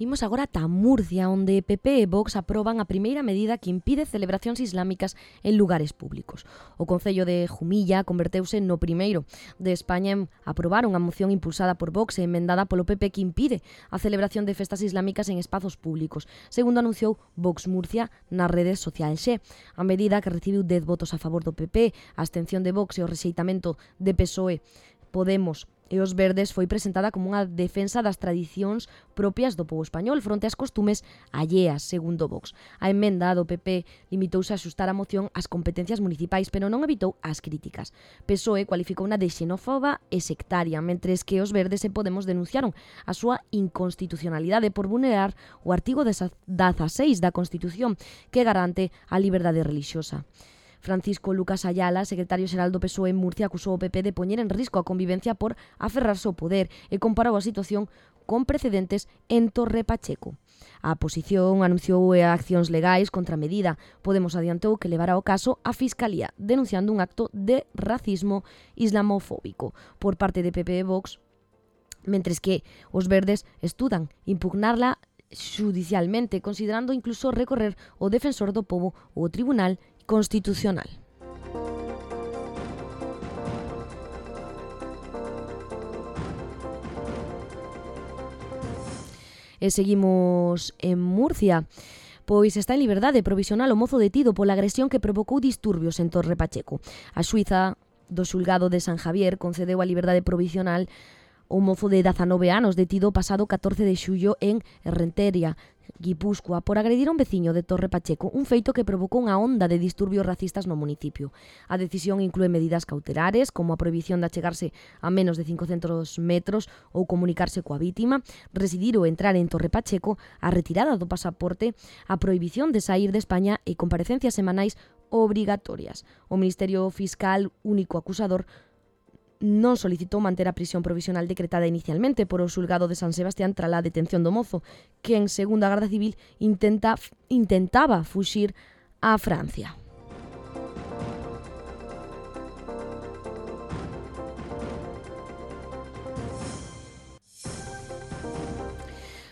Imos agora ata Murcia, onde P P e Vox aproban a primeira medida que impide celebracións islámicas en lugares públicos. O Concello de Jumilla converteuse no primeiro de España en aprobar unha moción impulsada por Vox e emendada polo P P que impide a celebración de festas islámicas en espazos públicos, segundo anunciou Vox Murcia nas redes sociais. A medida, que recibiu dez votos a favor do P P, a abstención de Vox e o rexeitamento de P S O E, Podemos e os Verdes, foi presentada como unha defensa das tradicións propias do pobo español fronte ás costumes alleas, segundo Vox. A emenda do P P limitouse a axustar a moción ás competencias municipais, pero non evitou as críticas. P S O E cualificou unha de xenófoba e sectaria, mentres que os Verdes e Podemos denunciaron a súa inconstitucionalidade por vulnerar o artigo dezaseis da Constitución, que garante a liberdade relixiosa. Francisco Lucas Ayala, secretario xeral do P S O E en Murcia, acusou o P P de poñer en risco a convivencia por aferrarse ao poder e comparou a situación con precedentes en Torre Pacheco. A oposición anunciou accións legais contra a medida. Podemos adiantou que levará o caso á Fiscalía, denunciando un acto de racismo islamofóbico por parte de P P e Vox, mentres que os verdes estudan impugnarla xudicialmente, considerando incluso recorrer o defensor do pobo ou o Tribunal Constitucional. E seguimos en Murcia, pois está en liberdade provisional o mozo detido pola agresión que provocou disturbios en Torre Pacheco. A xuíza do xulgado de San Javier concedeu a liberdade provisional o mozo de dezanove anos detido pasado catorce de xullo en Errenteria, Guipúzcoa, por agredir a un veciño de Torre Pacheco, un feito que provocou unha onda de disturbios racistas no municipio. A decisión inclúe medidas cautelares, como a prohibición de achegarse a menos de cincocentos metros ou comunicarse coa vítima, residir ou entrar en Torre Pacheco, a retirada do pasaporte, a prohibición de sair de España e comparecencias semanais obrigatorias. O Ministerio Fiscal, único acusador, non solicitou manter a prisión provisional decretada inicialmente por o xulgado de San Sebastián trala detención do mozo, que en segunda Garda Civil intenta, intentaba fuxir a Francia.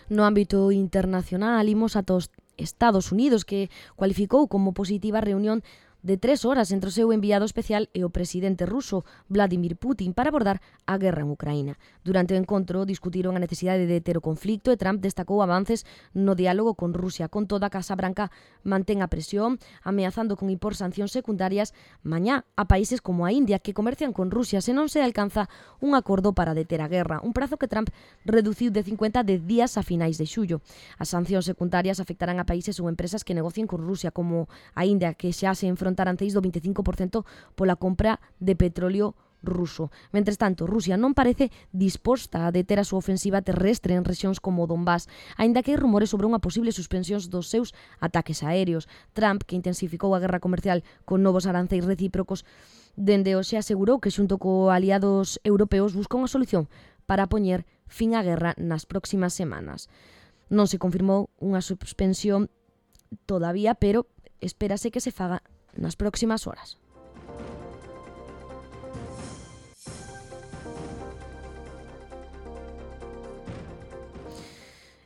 No ámbito internacional, imos ata os Estados Unidos, que cualificou como positiva a reunión de tres horas entre o seu enviado especial e o presidente ruso, Vladimir Putin, para abordar a guerra en Ucraína. Durante o encontro discutiron a necesidade de deter o conflicto e Trump destacou avances no diálogo con Rusia. Con toda, a Casa Branca mantén a presión, ameazando con impor sancións secundarias mañá a países como a India, que comercian con Rusia se non se alcanza un acordo para deter a guerra, un prazo que Trump reduciu de cincuenta a dez días a finais de xullo. As sancións secundarias afectarán a países ou empresas que negocien con Rusia, como a India, que xa se enfronta aranceis do veinticinco por cento pola compra de petróleo ruso. Mentres tanto, Rusia non parece disposta a deter a súa ofensiva terrestre en rexións como Donbass, aínda que hai rumores sobre unha posible suspensión dos seus ataques aéreos. Trump, que intensificou a guerra comercial con novos aranceis recíprocos, dende hoxe asegurou que xunto co aliados europeos busca unha solución para poñer fin á guerra nas próximas semanas. Non se confirmou unha suspensión todavía, pero espérase que se faga nas próximas horas.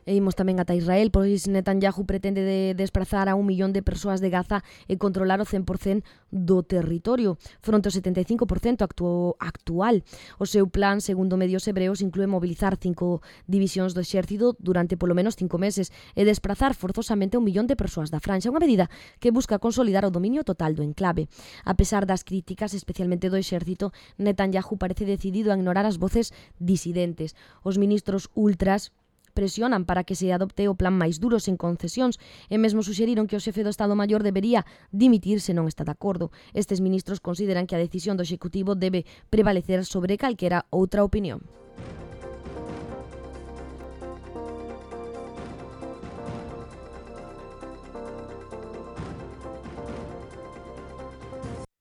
E imos tamén ata Israel, pois Netanyahu pretende de desprazar a un millón de persoas de Gaza e controlar o cen por cento do territorio, fronte ao setenta e cinco por cento actu- actual. O seu plan, segundo medios hebreos, inclúe mobilizar cinco divisións do exército durante polo menos cinco meses e desprazar forzosamente a un millón de persoas da Franxa, unha medida que busca consolidar o dominio total do enclave. A pesar das críticas, especialmente do exército, Netanyahu parece decidido a ignorar as voces disidentes. Os ministros ultras presionan para que se adopte o plan máis duro sen concesións e mesmo suxeriron que o xefe do Estado Maior debería dimitir se non está de acordo. Estes ministros consideran que a decisión do Executivo debe prevalecer sobre calquera outra opinión.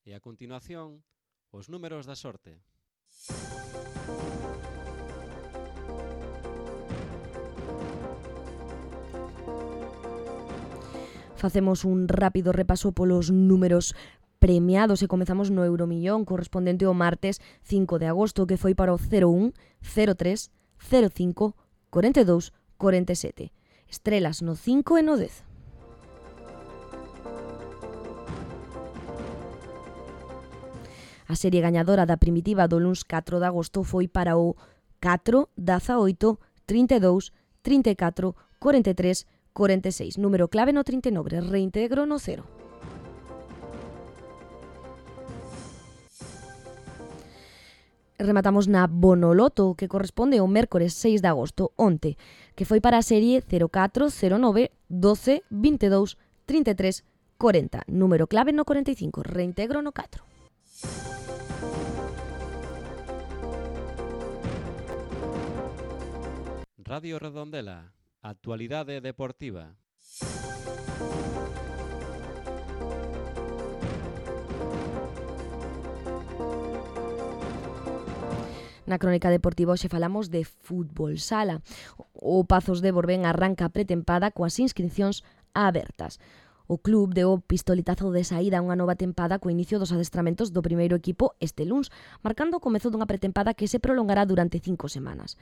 E a continuación, os números da sorte. Facemos un rápido repaso polos números premiados e comezamos no Euromillón correspondente ao martes cinco de agosto, que foi para o cero un, cero tres, cero cinco, corenta e dous, corenta e sete. Estrelas no cinco e no dez. A serie gañadora da primitiva do luns catro de agosto foi para o catro, dezaoito, trinta e dous, trinta e catro, corenta e tres, corenta e seis, número clave no trinta e nove, reintegro no cero. Rematamos na Bonoloto, que corresponde ao mércores seis de agosto, onte, que foi para a serie cero catro, cero nove, doce, vinte e dous, trinta e tres, corenta, número clave no corenta e cinco, reintegro no catro. Radio Redondela. Actualidade deportiva. Na crónica deportiva hoxe falamos de fútbol sala. O Pazos de Borbén arranca a pretempada coas inscripcións abertas. O club deu o pistoletazo de saída a unha nova tempada co inicio dos adestramentos do primeiro equipo este luns, marcando o comezo dunha pretempada que se prolongará durante cinco semanas.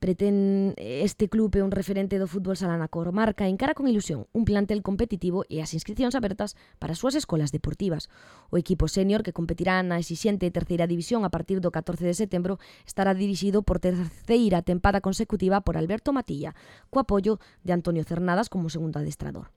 Pretén este club é un referente do fútbol sala na comarca, encara con ilusión un plantel competitivo e as inscripcións abertas para as súas escolas deportivas. O equipo senior, que competirá na exixente terceira división a partir do catorce de setembro, estará dirixido por terceira tempada consecutiva por Alberto Matilla, co apoio de Antonio Cernadas como segundo adestrador.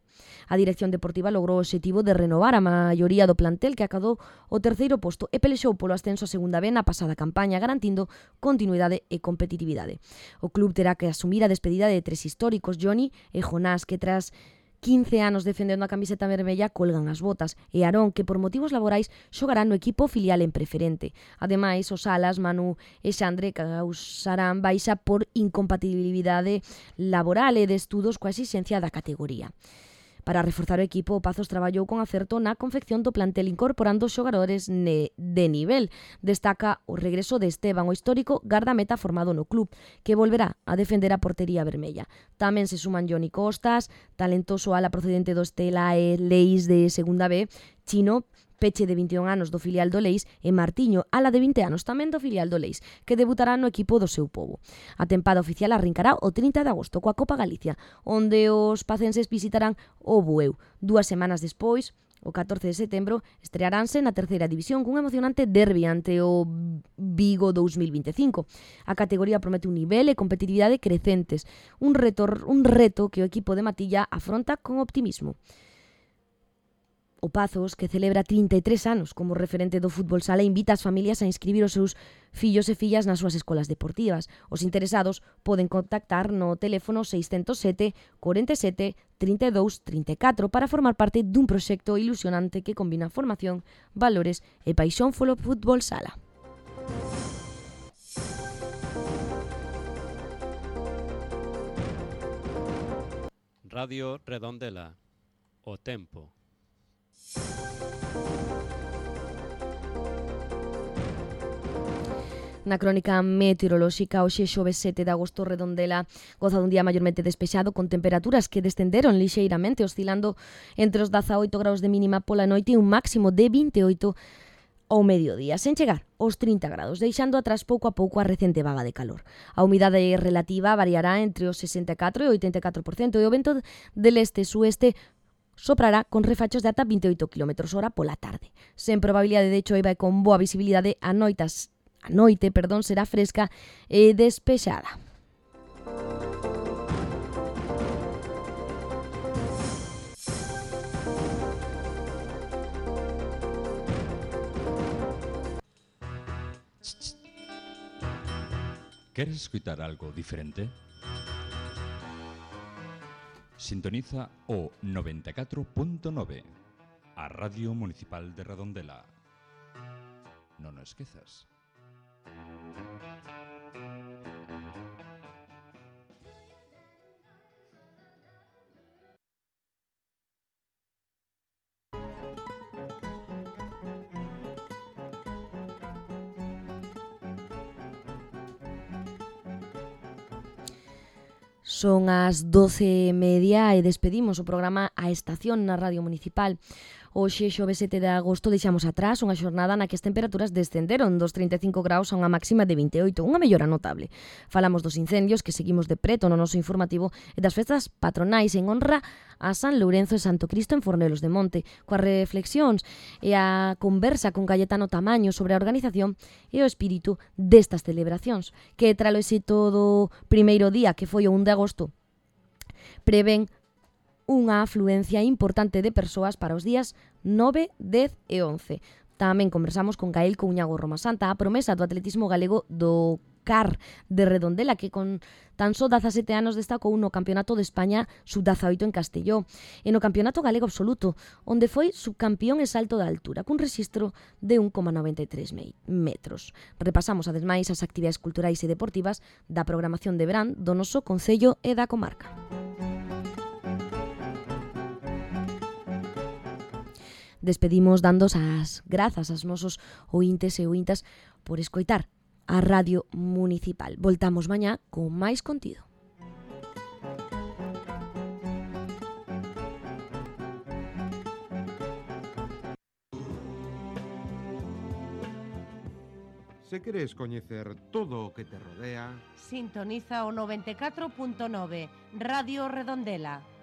A dirección deportiva logrou o obxectivo de renovar a maioría do plantel que acadou o terceiro posto e pelexou polo ascenso a segunda B na pasada campaña, garantindo continuidade e competitividade. O club terá que asumir a despedida de tres históricos, Johnny e Jonás, que tras quince anos defendendo a camiseta vermella colgan as botas, e Aarón, que por motivos laborais xogará no equipo filial en preferente. Ademais, os alas, Manu e Xandre, causarán baixa por incompatibilidade laboral e de estudos coa exixencia da categoría. Para reforzar o equipo, o Pazos traballou con acerto na confección do plantel incorporando xogadores ne, de nivel. Destaca o regreso de Esteban, o histórico gardameta formado no club, que volverá a defender a portería vermella. Tamén se suman Johnny Costas, talentoso ala procedente do Estela e Leis de segunda B, Chino, Peche de vinte e un anos do filial do Leis, e Martiño, ala de vinte anos tamén do filial do Leis, que debutará no equipo do seu pobo. A tempada oficial arrincará o trinta de agosto coa Copa Galicia, onde os pacenses visitarán o Bueu. Dúas semanas despois, o catorce de setembro, estrearánse na terceira división cun emocionante derbi ante o Vigo dous mil vinte e cinco. A categoría promete un nivel e competitividade crecentes, un reto, un reto que o equipo de Matilla afronta con optimismo. O Pazos, que celebra trinta e tres anos como referente do fútbol sala, invita as familias a inscribir os seus fillos e fillas nas súas escolas deportivas. Os interesados poden contactar no teléfono seiscentos sete, cuarenta e sete, trinta e dous, trinta e catro para formar parte dun proxecto ilusionante que combina formación, valores e paixón polo fútbol sala. Radio Redondela. O tempo. Na crónica meteorolóxica, hoxe xoves sete de agosto, Redondela goza dun día maiormente despexado con temperaturas que descenderon lixeiramente, oscilando entre os dezaoito graus de mínima pola noite e un máximo de vinte e oito ao mediodía, sen chegar aos trinta graus, deixando atrás pouco a pouco a recente vaga de calor. A humidade relativa variará entre os sesenta e catro e oitenta e catro por cento e o vento del este-sueste soprará con refachos de ata vinte e oito quilómetros hora pola tarde. Sen probabilidade de choiva e con boa visibilidade, a noitas, a noite, perdón, será fresca e despexada. ¿Queres escuchar algo diferente? Sintoniza o noventa e catro punto nove, a Radio Municipal de Redondela. Non o esquezas. Son as doce e media e despedimos o programa A Estación na Radio Municipal. Hoxe, xoves sete de agosto, deixamos atrás unha xornada na que as temperaturas descenderon dos trinta e cinco graus a unha máxima de vinte e oito, unha mellora notable. Falamos dos incendios que seguimos de preto no noso informativo e das festas patronais en honra a San Lourenzo e Santo Cristo en Fornelos de Monte, coas reflexións e a conversa con Cayetano Tamaño sobre a organización e o espírito destas celebracións, que tralo éxito do primeiro día, que foi o un de agosto, prevén unha afluencia importante de persoas para os días nove, dez e once. Tamén conversamos con Gael Couñago Roma Santa, a promesa do atletismo galego do C A R de Redondela, que con tan só dezasete anos destacou no Campeonato de España sub dezaoito en Castelló e no Campeonato Galego Absoluto, onde foi subcampeón en salto de altura, cun rexistro de un coma noventa e tres metros. Repasamos ademais as actividades culturais e deportivas da programación de verán do noso Concello e da comarca. Despedimos dando as grazas aos nosos ointes e ointas por escoitar a Radio Municipal. Voltamos mañá con máis contido. Se queres coñecer todo o que te rodea, sintoniza o noventa e catro punto nove Radio Redondela.